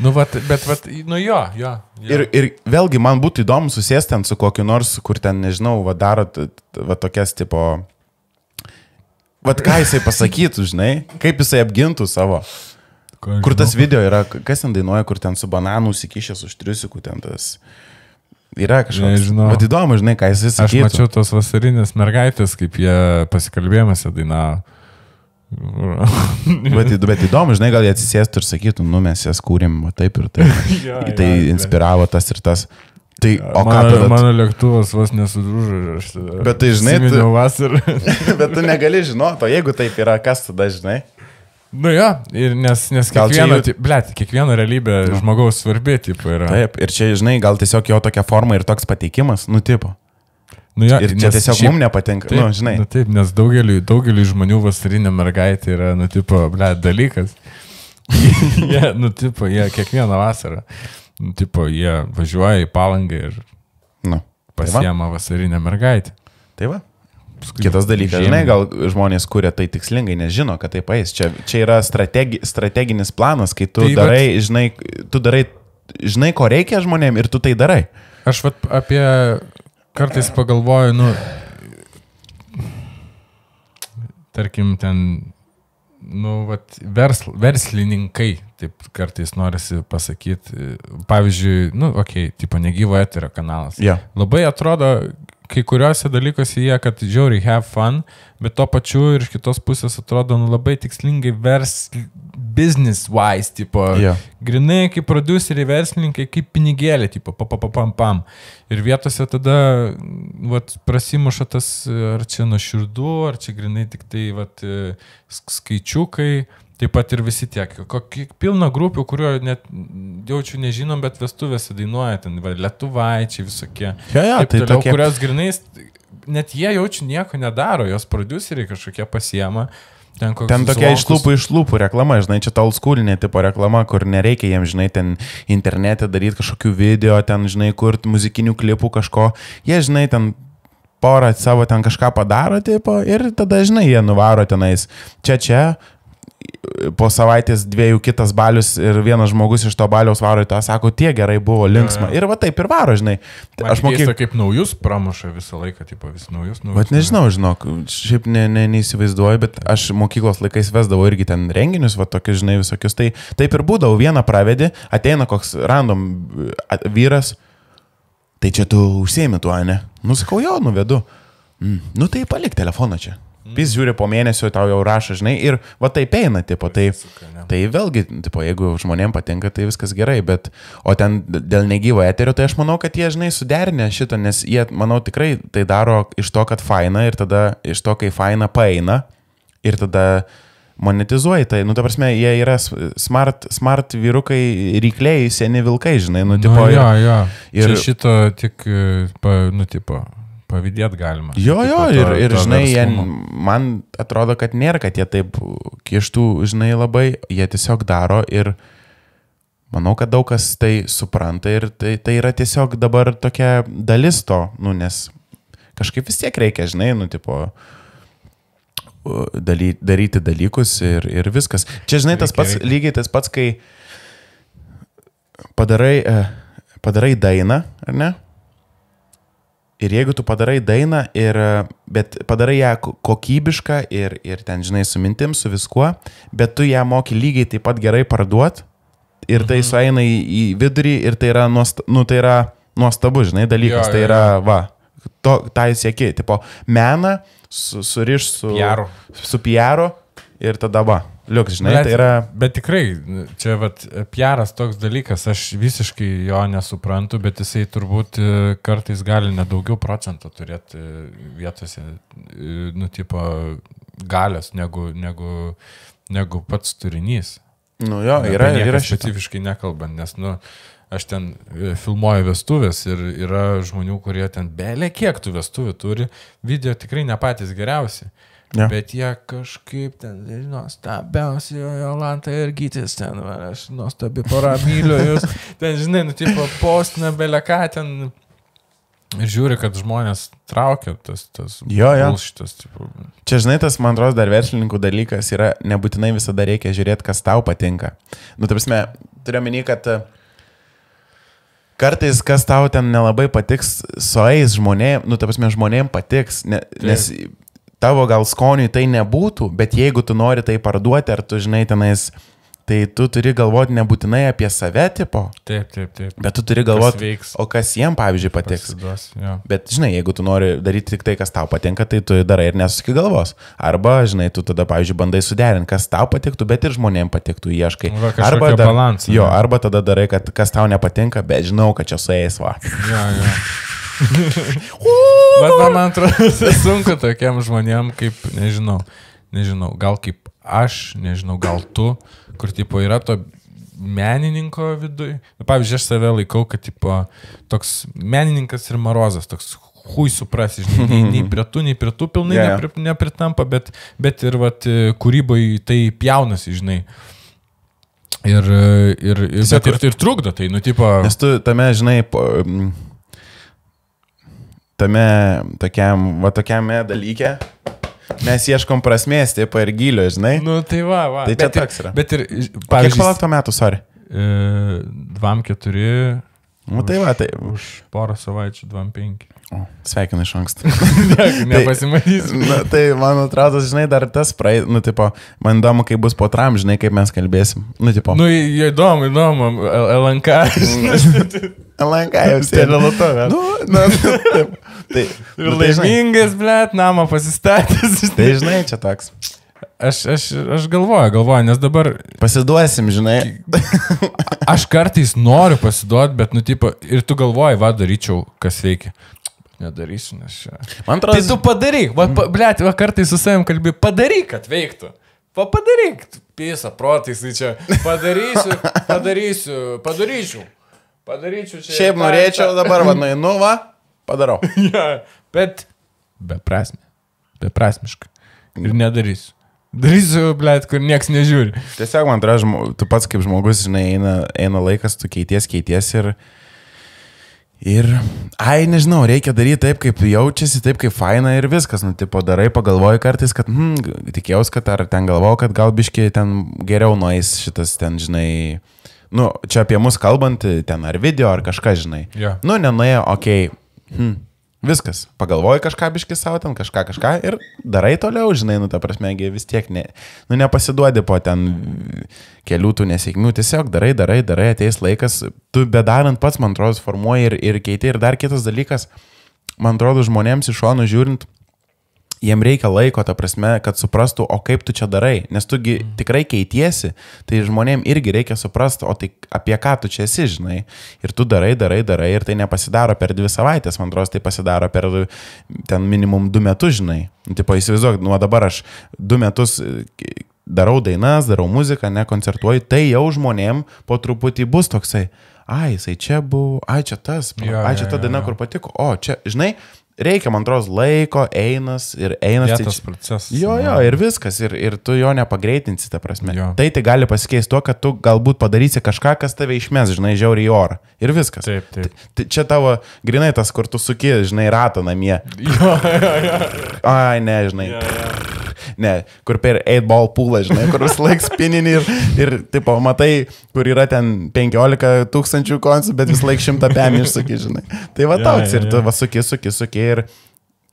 Jo. Ir vėlgi, man būtų įdomu susėsti ten su kokiu nors, kur ten, nežinau, daro tokias tipo... ką jisai pasakytų, žinai, kaip jisai apgintų savo... Kur tas video yra, kas ten dainuoja, kur ten su bananu užsikišęs už triusikų, ten tas yra kažkoks. Vat įdomu, žinai, ką jis sakytų. Aš mačiau tos vasarinės mergaitės, kaip jie pasikalbėjimąse dainavo. Bet įdomu, žinai, gal jie atsisėstų ir sakytų, mes jas kūrėm, taip ir taip. Tai inspiravo tas ir tas. Tai, mano lėktuvas vos nesudrūžo. Bet tai, žinai, bet tu negali žinoti, o jeigu taip yra, kas tada, žinai? Ir nes kiekvieno realybė žmogaus svarbi, tipo, yra. Taip, ir čia, žinai, gal tiesiog jo tokia forma ir toks pateikimas, tipo. Ir čia tiesiog mums nepatinka, taip, žinai. Taip, nes daugeliui žmonių vasarinė mergaitė yra, tipo, dalykas. Jie kiekvieną vasarą, tipo, jie važiuoja į Palangą ir pasiema vasarinę mergaitę. Tai va. Kitas dalykas, žinai, gal žmonės kuria tai tikslingai, nežino, kad taip eis. Čia yra strateginis planas, kai tu darai, žinai, ko reikia žmonėm ir tu tai darai. Aš apie kartais pagalvoju, tarkim, ten, verslininkai, taip kartais norisi pasakyti. Pavyzdžiui, tipo negyvo eterio kanalas. Yeah. Labai atrodo, kai kuriuose dalykuose jie, kad žiauriai have fun, bet to pačiu ir iš kitos pusės atrodo labai tikslingai business wise, tipo, grinai kaip produceriai, verslininkai, kaip pinigėlė, tipo, pam. Ir vietose tada, prasimuša tas, ar čia nuoširdu, ar čia grinai tik tai, skaičiukai. Taip pat ir visi tiek. Pilna grupių, kurio net jaučiu nežinom, bet vestuvėse dainuoja ten, lietuvaičiai visokie. Tai toliau, kurios grinais, net jie jaučiu nieko nedaro, jos produceriai kažkokie pasiema. Ten tokia iš lūpų reklama, žinai, čia ta oldschoolinė tipo reklama, kur nereikia jiems, žinai, ten internete daryti kažkokių video, ten, žinai, kurti muzikinių klipų kažko. Jie, žinai, ten porą savo ten kažką padaro, tipo, ir tada, žinai, jie nuvaro tenais čia. Po savaitės dviejų kitas balius ir vienas žmogus iš to baliaus varo į tą, sako, tie gerai buvo, linksma. Ir taip ir varo, žinai. Aš keista, kaip naujus pramuša visą laiką, tipo, vis naujus. Bet nežinau, žinok, šiaip neįsivaizduoju, bet aš mokyklos laikais vesdavau irgi ten renginius, tokius, žinai, visokius. Tai taip ir būdavau, vieną pravedį, ateina koks random vyras, tai čia tu užsiemi tuo, ne? Sakau, jo, nuvedu. Tai palik telefoną čia. Jis žiūri po mėnesio, tau jau rašo, žinai, ir taip eina, tipo, tai vėlgi, tipo, jeigu žmonėms patinka, tai viskas gerai, bet, o ten dėl negyvo eterio, tai aš manau, kad jie, žinai, suderinę šitą, nes jie, manau, tikrai tai daro iš to, kad faina, ir tada iš to, kai faina paeina, ir tada monetizuoja tai, ta prasme, jie yra smart vyrukai, rykliai, seni vilkai, žinai, tipo, jo. Ir čia šito tik, tipo... Pavydėt galima. Jo, ir žinai, man atrodo, kad nėra, kad jie taip kištų, žinai, labai, jie tiesiog daro ir manau, kad daug kas tai supranta ir tai yra tiesiog dabar tokia dalis to, nes kažkaip vis tiek reikia, žinai, tipo, daryti dalykus ir viskas. Čia, žinai, tas pats, lygiai tas pats, kai padarai dainą, ar ne? Ir jeigu tu padarai dainą, bet padarai ją kokybišką ir ten, žinai, su mintim, su viskuo, bet tu ją moki lygiai taip pat gerai parduot ir tai sueina į vidurį ir tai yra, tai yra nuostabu, žinai, dalykas. Tai yra, tai sieki, tipo, meną suriš su PR-u ir tada Liuks, žinai, tai yra... Bet tikrai, čia vat PR'as toks dalykas, aš visiškai jo nesuprantu, bet jisai turbūt kartais gali nedaugiau procento turėti vietose, tipo, galios negu pats turinys. Nu jo, yra specifiškai nekalbant, nes, aš ten filmuoju vestuvės ir yra žmonių, kurie ten belė kiek tų vestuvių turi, video tikrai ne patys geriausi. Ja. Bet jie kažkaip ten, nuostabiausi, Jolanta ir Gytis ten, aš nuostabi pora myliu jūs, ten, žinai, tipo, postina belė ką ten ir žiūri, kad žmonės traukia tas bullshitas. Tipo. Čia, žinai, tas, man atrodo, dar verslininkų dalykas yra, nebūtinai visada reikia žiūrėti, kas tau patinka. Ta prasme, turiu omeny, kad kartais, kas tau ten nelabai patiks, sueis žmonėm, ta prasme, žmonėm patiks, nes tavo gal skoniui tai nebūtų, bet jeigu tu nori tai parduoti, ar tu žinai tenais, tai tu turi galvoti nebūtinai apie save, tipo. Taip. Bet tu turi galvoti, o kas jiem, pavyzdžiui, patiks. Pasiduos, ja. Bet, žinai, jeigu tu nori daryti tik tai, kas tau patinka, tai tu darai ir nesuski galvos. Arba, žinai, tu tada, pavyzdžiui, bandai suderinti, kas tau patiktų, bet ir žmonėm patiktų, ieškai. Arba balansą. Jo, arba tada darai, kad kas tau nepatinka, bet žinau, kad čia sueis, va. Ja. Bet man atrodo, sunku tokiem žmonėm, kaip, nežinau, gal kaip aš, nežinau, gal tu, kur, tipo, yra to menininko viduj. Pavyzdžiui, aš save laikau, kad, tipo, toks menininkas ir marozas, toks hui suprasi, žinai, nei prie tų pilnai nepritampa, bet ir, vat, kūryboje tai pjaunasi, žinai. Ir trukdo tai, tipo... Nes tu tame, žinai, tame tokiame dalyke mes ieškom prasmės, taip ir gylio, žinai. Tai va. Tai čia toks yra. Bet ir, pavyzdžiui... Kiek palauk to metų, sorry? 2-4. Tai va, tai... Už porą savaičių 2-5. Sveikinu iš anksto. Nepasimatysiu. Tai, man atrodo, žinai, dar tas tipo, man įdomu, kaip bus po tram, žinai, kaip mes kalbėsim. Tipo. Įdomu, LNK. LNK jau sėdė. Ir laimingas, blėt, namą pasistatęs. Tai, žinai, čia toks. Aš galvoju, nes dabar... Pasiduosim, žinai. Aš kartais noriu pasiduoti, bet, tipo, ir tu galvoji, daryčiau, kas veikia. Nedarysiu, nes čia. Man atrodo... Tai tu padaryk, blėt, kartais su savim kalbi, padaryk, kad veiktų. Padaryk, pisa, protais, tai čia. Padaryčiau čia. Šiaip norėčiau dabar, nueinu, padarau. Bet beprasmiškai. Ir nedarysiu. Darysiu, blėt, kur nieks nežiūri. Tiesiog, man atrodo, tu pats kaip žmogus, žinai, eina laikas, tu keities ir, nežinau, reikia daryti taip, kaip jaučiasi, taip, kaip faina ir viskas. Tipo, darai, pagalvoji kartais, kad, tikėjausi, kad ar ten galvojau, kad gal biški ten geriau nueis šitas ten, žinai, čia apie mus kalbant, ten ar video, ar kažką, žinai. Yeah. Nenuėjo, okei, viskas, pagalvoji kažką biški savo ten, kažką ir darai toliau, žinai, ta prasme, vis tiek nepasiduodi po ten kelių tų nesėkmių, tiesiog darai, ateis laikas, tu bedarant pats, man atrodo, formuoji ir keiti. Ir dar kitas dalykas, man atrodo, žmonėms iš šonų žiūrint, jiem reikia laiko, ta prasme, kad suprastų, o kaip tu čia darai, nes tugi tikrai keitiesi, tai žmonėm irgi reikia suprasti, o tai apie ką tu čia esi, žinai, ir tu darai, ir tai nepasidaro per 2 savaitės, man atrodo, tai pasidaro per ten minimum 2 metus, žinai. Tipo, įsivaizduok, dabar aš 2 metus darau dainas, darau muziką, nekoncertuoju, tai jau žmonėm po truputį bus toksai, jisai čia buvo, čia tas, čia ta daina, kur patiko, čia, žinai, reikia, man atrodo, laiko, einas. Vietos procesas. Jo, ir viskas, ir tu jo nepagreitinsi, ta prasme. Jo. Tai gali pasikeisti tuo, kad tu galbūt padarysi kažką, kas tave išmes, žinai, žiauriai į orą. Ir viskas. Taip. Čia tavo grinai tas, kur tu suki, žinai, ratą namie. Jo. Ne, žinai. Ne, kur per 8-ball poolą, žinai, kur vis laik spininį ir tipo, matai, kur yra ten 15,000 konsų, bet vis laik 100 pėmį išsuki, žinai. Tai va toks, ir tu suki ir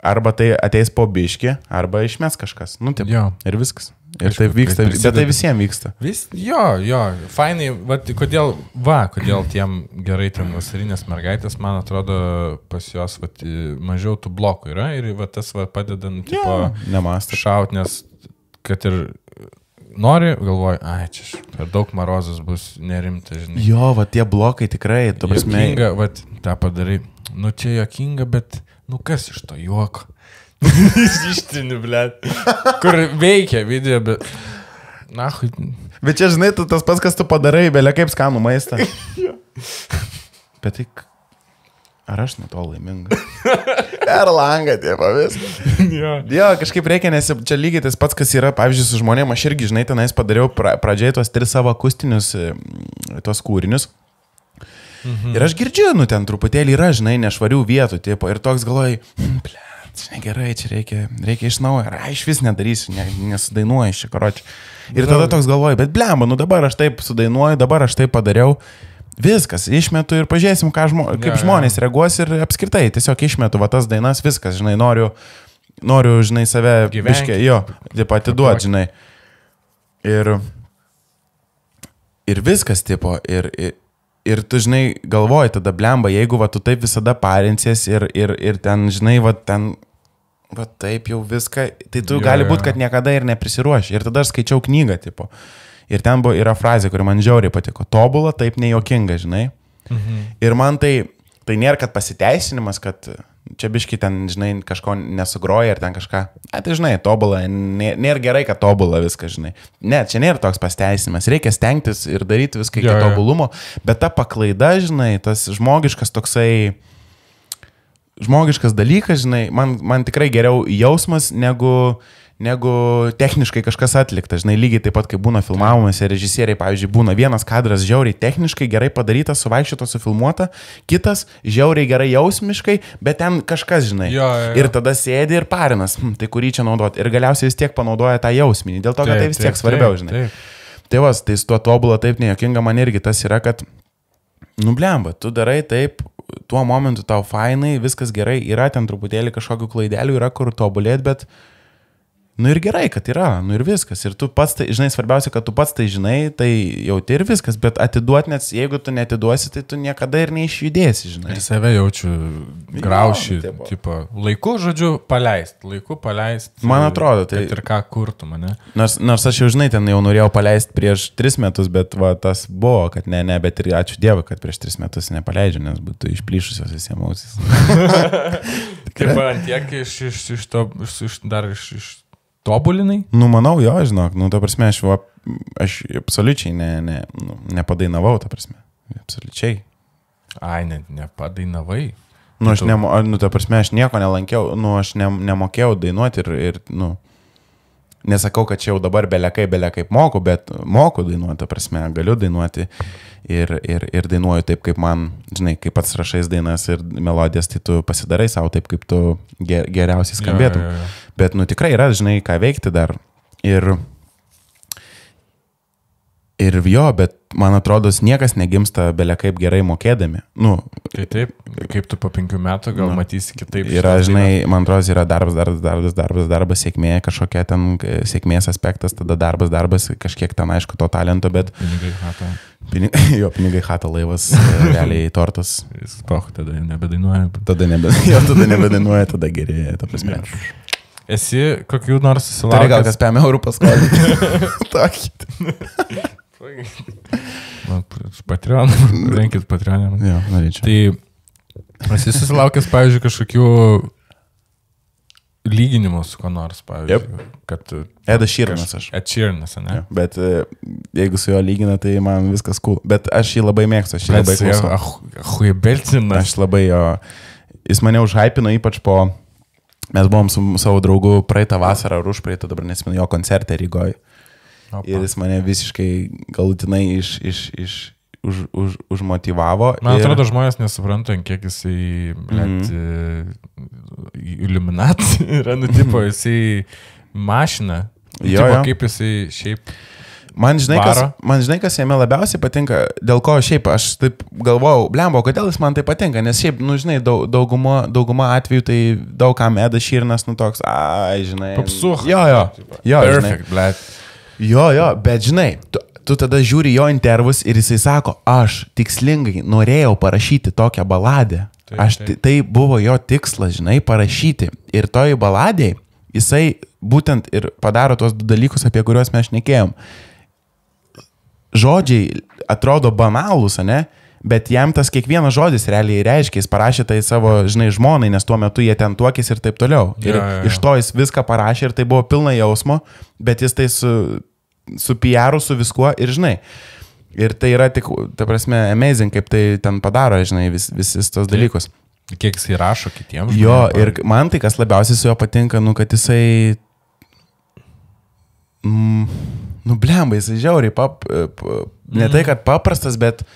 arba tai ateis po biškį, arba išmes kažkas. Taip, ir viskas. Ir taip vyksta, bet tai visiems vyksta. Jo, fainai, kodėl tiem gerai ten vasarinės mergaitės, man atrodo, pas jos mažiau tų blokų yra ir tas padeda, tipo, nemąstyti šaut, nes kad ir nori, galvoji, ai, čia per daug marozas bus nerimta, žinai. Jo, va tie blokai tikrai, tu prasme. Jokinga, va, tą padarai. Nu, čia jokinga, bet, nu, kas iš to juoko? Ištini, blėt. Kur veikia video, bet... Na, Bet čia, žinai, tu tas pats, kas tu padarai, belia kaip skanų maistą. Bet tai... Ar aš nuo to laiminga? Per langą, tie pavis. Jo, kažkaip reikia, nes čia lygiai tas pats, kas yra, pavyzdžiui, su žmonėm, aš irgi, žinai, tenais padariau pradžiai tuos 3 savo akustinius tuos kūrinius. Ir aš girdžiu, nu, ten truputėlį yra, žinai, nešvarių vietų, tipo, ir toks galvoji, čia negerai, čia reikia iš naujo, ar aš vis nedarysiu, nesudainuoju iš čia, karoči. Ir tada toks galvoju, bet blemba, nu dabar aš taip sudainuoju, dabar aš taip padariau, viskas, išmetu ir pažiūrėsim, kaip žmonės reaguos ir apskritai, tiesiog išmetu va tas dainas, viskas, žinai, noriu, žinai, save biškė, jo, taip atiduoti, žinai. Ir viskas, tipo, ir tu, žinai, galvoji tada blemba, jeigu va tu taip visada parinsies ir ten, žinai, va ten... Va taip jau viską, tai tu gali būti, kad niekada ir neprisiruoši. Ir tada aš skaičiau knygą, tipo. Ir ten yra frazė, kuri man žiauriai patiko. Tobula, taip nejuokinga, žinai. Ir man tai nėra, kad pasiteisinimas, kad čia biški ten, žinai, kažko nesugroja ir ten kažką. Tai, žinai, tobula, nėra gerai, kad tobula viską, žinai. Ne, čia nėra toks pasiteisinimas. Reikia stengtis ir daryti viską iki tobulumo. Bet ta paklaida, žinai, tas žmogiškas toksai... Žmogiškas dalykas, žinai, man tikrai geriau jausmas negu techniškai kažkas atlikta, žinai, lygiai taip pat, kai būna filmavimuose, režisieriai, pavyzdžiui, būna vienas kadras žiauriai techniškai gerai padarytas, suvaikščiotas, sufilmuota, kitas žiauriai gerai jausmiškai, bet ten kažkas, žinai, ir tada sėdi ir parinas, tai kurį čia naudoti, ir galiausiai vis tiek panaudoja tą jausminį, dėl to, kad tai vis tiek svarbiau, žinai. Tai vas, tai su tuo tobulą taip nejuokinga man irgi tas yra, kad, nu blemba, tu darai taip, tuo momentu tau fainai, viskas gerai, yra ten truputėlį kažkokių klaidelių, yra kur tobulėti, bet nu ir gerai, kad yra, nu ir viskas. Ir tu pats, tai, žinai, svarbiausia, kad tu pats tai žinai, tai jauti ir viskas, bet atiduoti, nes jeigu tu netiduosi, tai tu niekada ir neišjudėsi, žinai. Ir save jaučiu graušį, tipo, laiku, žodžiu, paleist. Man atrodo, tai... Ir ką kurtų mane. Nors aš jau, žinai, ten jau norėjau paleisti prieš 3 metus, bet va, tas buvo, kad ne, bet ir ačiū Dievui, kad prieš 3 metus nepaleidžiu, nes būtų išplyšusios visi emocijos. Kaip ant tiek iš tobulinai? Nu, manau, jo, žinok, nu, ta prasme, aš absoliučiai nepadainavau, ta prasme, absoliučiai. Ai, nepadainavai? Nu, ta prasme, aš nieko nelankiau, nu, aš nemokėjau dainuoti ir, nu, nesakau, kad čia jau dabar belekaip moku, bet moku dainuoti, ta prasme, galiu dainuoti ir dainuoju taip, kaip man, žinai, kaip pats rašais dainas ir melodijas, tai tu pasidarai savo taip, kaip tu geriausiai skambėtum. Jo. Bet, nu, tikrai yra, žinai, ką veikti dar. Ir jo, bet man atrodo, niekas negimsta belekaip gerai mokėdami. Nu, tai taip, kaip tu po 5 metų gal matysi kitaip. Yra, žinai, man atrodo, yra darbas, sėkmė, kažkokia ten sėkmės aspektas, tada darbas, kažkiek ten, aišku, to talento, bet... Pinigai hata. Pinigai hata, laivas, realiai tortas. Jis poch, tada nebedainuoja. Tada nebedainuoja, tada gerėja, ta prasme. Esi kokių nors susilaukęs? Tai gal kas 5 eurų paskolinti. Tokį. Patreon, renkit Patreonę. Jo, norėčiau. Tai esi susilaukęs, pavyzdžiui, kažkokių lyginimų su ko nors, pavyzdžiui. Kad Edas Sheeranas aš. Ed Sheeranas, ne? Ja, bet jeigu su juo lygina, tai man viskas cool. Bet aš jį labai mėgstu, aš jį labai klausau. Huibelcinas. Aš labai jo... Jis mane užhypino ypač po... Mes buvom su savo draugu praeitą vasarą ar užpraeitą, dabar nesimenu, jo koncertą Rygoje. Ir jis mane visiškai galutinai užmotivavo. Man atrodo, žmonės nesupranta, kiek jisai iliuminacija yra, nu, tipo, jisai mašina. Jo. Kaip jisai šiaip... Man žinai, kas jame labiausiai patinka, dėl ko šiaip aš taip galvojau, blembo, kodėl jis man tai patinka, nes šiaip, nu, žinai, dauguma atveju tai daug kam Edas Sheeranas, nu, toks, žinai. Popsuch. Jo. Perfect, blėt. Jo, bet žinai, tu tada žiūri jo intervus ir jisai sako, aš tikslingai norėjau parašyti tokią baladę. Tai buvo jo tikslas, žinai, parašyti. Ir toj baladėj jisai būtent ir padaro tos 2 dalykus, apie kuriuos mes šnekėjom. Žodžiai atrodo banalūs, ne? Bet jam tas kiekvienas žodis realiai reiškia, jis parašė tai savo, žinai, žmonai, nes tuo metu jie ten tuokėsi ir taip toliau. Ir iš to jis viską parašė ir tai buvo pilna jausmo, bet jis tai su PR-u, su viskuo ir, žinai, ir tai yra tik, ta prasme, amazing, kaip tai ten padaro, žinai, visis tos dalykus. Kiek jis įrašo kitiems. Jo, ir man tai, kas labiausiai su juo patinka, kad jisai, blemba, jisai žiauriai, ne tai, kad paprastas, bet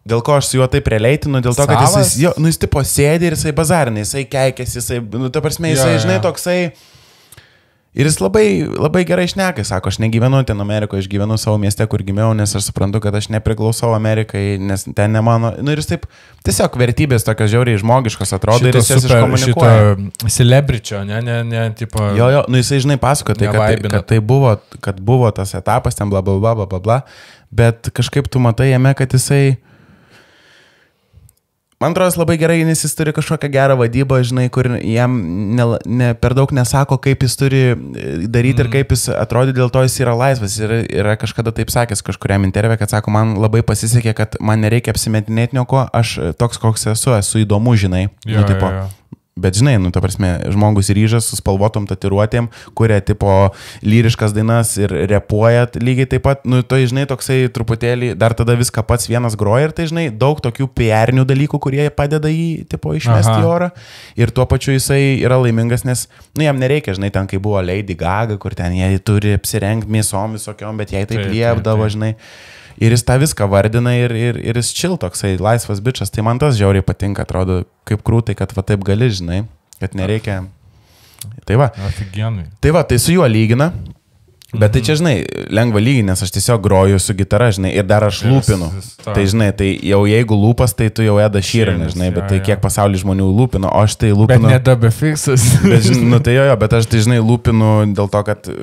dėl ko aš su juo taip releitinu, dėl to, kad jis tipo sėdi ir jisai bazarina, jisai keikėsi, jisai, ta prasme, jisai, žinai, toksai, ir jis labai, labai gerai šneka, sako, aš negyvenu ten Amerikoje, aš gyvenu savo mieste, kur gimiau, nes aš suprantu, kad aš nepriklausau Amerikai, nes ten ne mano, ir jis taip, tiesiog vertybės tokios žiauriai žmogiškos atrodo ir jis jas iškomunikuoja. Šito celebričio, ne, tipo... Jo, jisai, žinai, pasako, tai, kad buvo tas etapas, ten bla, bla, bla, bla, bla, bla, bet kažkaip tu matai jame, kad jisai... Man atrodo, labai gerai, nes jis turi kažkokią gerą vadybą, žinai, kur jam per daug nesako, kaip jis turi daryti ir kaip jis atrodė, dėl to jis yra laisvas. Ir yra kažkada taip sakęs kažkuriam intervė, kad sako, man labai pasisekė, kad man nereikia apsimetinėti nieko, aš toks, koks esu įdomu, žinai. Tipo, bet žinai, ta prasme, žmogus ryžas su spalvotom tatuiruotėm, kuria tipo lyriškas dainas ir repuoja lygiai taip pat, tai žinai, toksai truputėlį, dar tada viską pats vienas groja ir tai žinai, daug tokių PR-nių dalykų, kurie padeda jį tipo išmesti į orą ir tuo pačiu jisai yra laimingas, nes, jam nereikia, žinai, ten kai buvo Lady Gaga, kur ten jie turi apsirengti mėsom visokiom, bet jai taip liepdavo, žinai. Ir jis tą viską vardina ir jis chill toksai, laisvas bičas. Tai man tas žiauriai patinka, atrodo, kaip krūtai, kad va taip gali, žinai, kad nereikia. Tai va. Afigienai. Tai va, tai su juo lygina. Bet tai čia, žinai, lengva lyginti, nes aš tiesiog groju su gitara, žinai, ir dar aš lūpinu. Tai, žinai, tai jau jeigu lūpas, tai tu jau Eda Sheeran, žinai, bet tai kiek pasaulį žmonių lūpino, o aš tai lūpinu. Bet ne Dabefixas. Tai jo, bet aš tai, žinai, lūpinu dėl to, kad...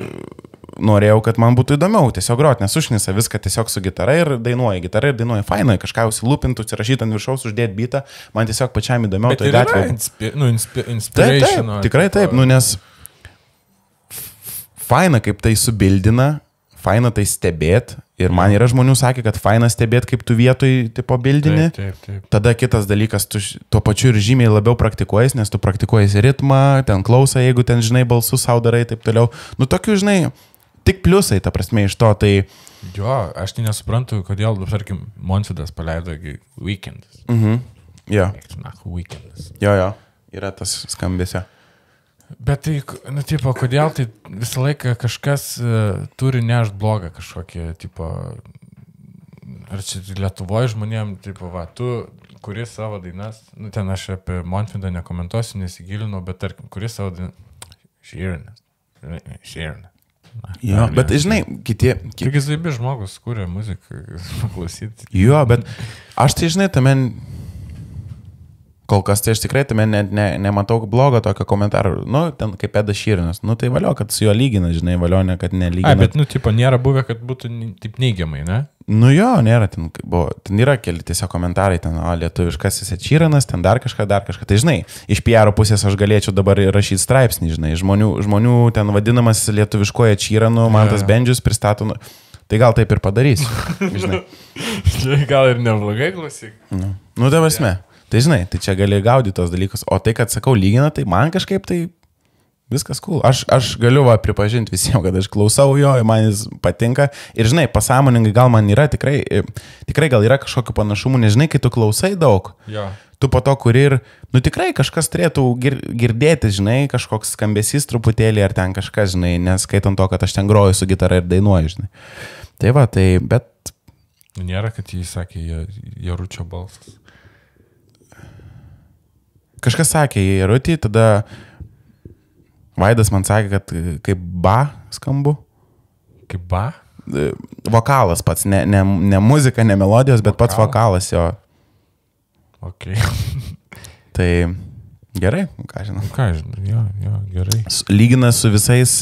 norėjau, kad man būtų įdomiau tiesiog groti, nes užnisa viską tiesiog su gitara ir dainuoji fainai, kažką užsilūpintų, užsirašyti ant viršaus, uždėti bitą, man tiesiog pačiam įdomiau tai gatvėje. Taip, tikrai taip, nes faina, kaip tai subildina, faina tai stebėt ir man yra žmonių sakė, kad faina stebėt, kaip tu vietoj tipo bildini. Taip. Tada kitas dalykas, tu tuo pačiu ir žymiai labiau praktikuojas, nes tu praktikuojas ritmą, ten klausą, jeigu ten, žinai, balsus sau darai, taip toliau. Tokių, žinai, tik pliusai, ta prasme, iš to, tai... Jo, aš tai nesuprantu, kodėl, tarkim, Montvydas paleido Weekendas. Jo. Weekendas. Jo, yra tas skambesio. Bet tai, tipo, kodėl tai visą laiką kažkas turi nešt blogą kažkokį, tipo, ar čia Lietuvoje žmonėm, tipo, va, tu kuri savo dainas, ten aš apie Montvydą nekomentuosiu, nesigilinau, bet tarkim, kuri savo dainas, Sheeran. Jo, bet žinai, kiti... Tik įzaibi žmogus kūrė muziką, klausyti. Jo, bet aš tai, žinai, tame... Kol kas tai aš tikrai tame nematau blogo tokio komentarų. Ten kaip Eda Sheeranas. Tai valio, kad su juo lygina, žinai, valio, ne, kad nelygina. Bet, tipo, nėra buvę, kad būtų taip neigiamai, ne? Jo, nėra, ten yra keli tiesiog komentarai, ten, lietuviškasis Sheeranas, ten dar kažką. Tai, žinai, iš PR pusės aš galėčiau dabar rašyti straipsnį, žinai, žmonių ten vadinamas lietuviškoje Sheeranu, man tas Bendžius pristato, tai gal taip ir padarysiu, žinai. Gal ir neblogai klausyk. Tai prasme. Tai žinai, tai čia gali gaudyti tos dalykus, o tai, kad sakau lygina, tai man kažkaip tai viskas cool. Aš galiu pripažinti visiems, kad aš klausau jo, man jis patinka ir žinai, pasąmoningai gal man yra tikrai gal yra kažkokių panašumų, nes žinai, kai tu klausai daug, tu po to kuri ir, tikrai kažkas turėtų girdėti, žinai, kažkoks skambesys truputėlį ar ten kažkas, žinai, neskaitant to, kad aš ten groju su gitara ir dainuoju, žinai. Tai va, tai, bet... Nėra, kad jis sakė Jaručio balsas. Kažkas sakė į Jarutį, tada Vaidas man sakė, kad kaip ba skambu. Kaip ba? Vokalas pats, ne muzika, ne melodijos, bet pats vokalas jo. Ok. Tai gerai, ką žinau. Ką žinau, jo, gerai. Lygina su visais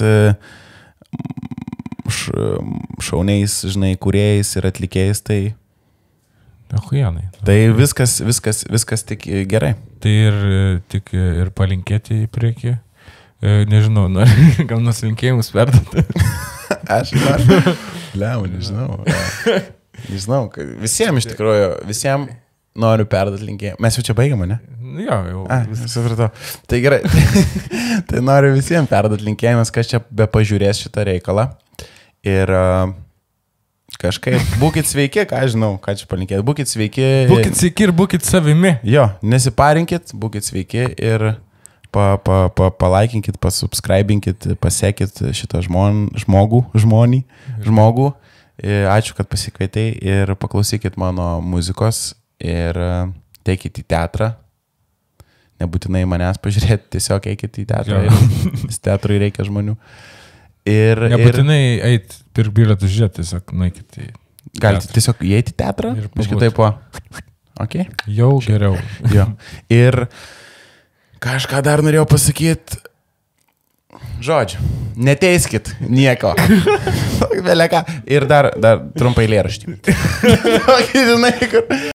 šauniais, žinai, kūrėjais ir atlikėjais, tai... Ahuienai. Tai viskas tik gerai. Tai ir tik ir palinkėti į priekį Nežinau, gal nuslinkėjimus perduoti. Aš noriu. Liau, nežinau. Nežinau, visiems iš tikrųjų, visiems noriu perduoti linkėjimą. Mes jau čia baigiam, ne? Jo, jau. Supratau. Tai gerai. Tai noriu visiems perduoti linkėjimus, kas čia be pažiūrės šitą reikalą. Ir kažkaip būkit sveiki, ką žinau, ką čia palinkėti. Būkit sveiki. Būkit sveiki ir būkit savimi. Jo, nesiparinkit, būkit sveiki ir palaikinkit, pasubscribinkit, pasekit šitą žmogų. Ačiū, kad pasikvietei ir paklausykit mano muzikos ir teikit į teatrą. Nebūtinai manęs pažiūrėti, tiesiog eikit į teatrą. Teatrui reikia žmonių. Nebūtinai eit pirk bilietus žiūrėti, tiesiog nueikit į... Galite tiesiog įeiti į teatrą ir kitaip Okay? Jau geriau. Jo. Ir kažką dar norėjau pasakyti. Žodžiu, neteiskit nieko. Ir dar trumpai eilėraštį. Žinai, kur...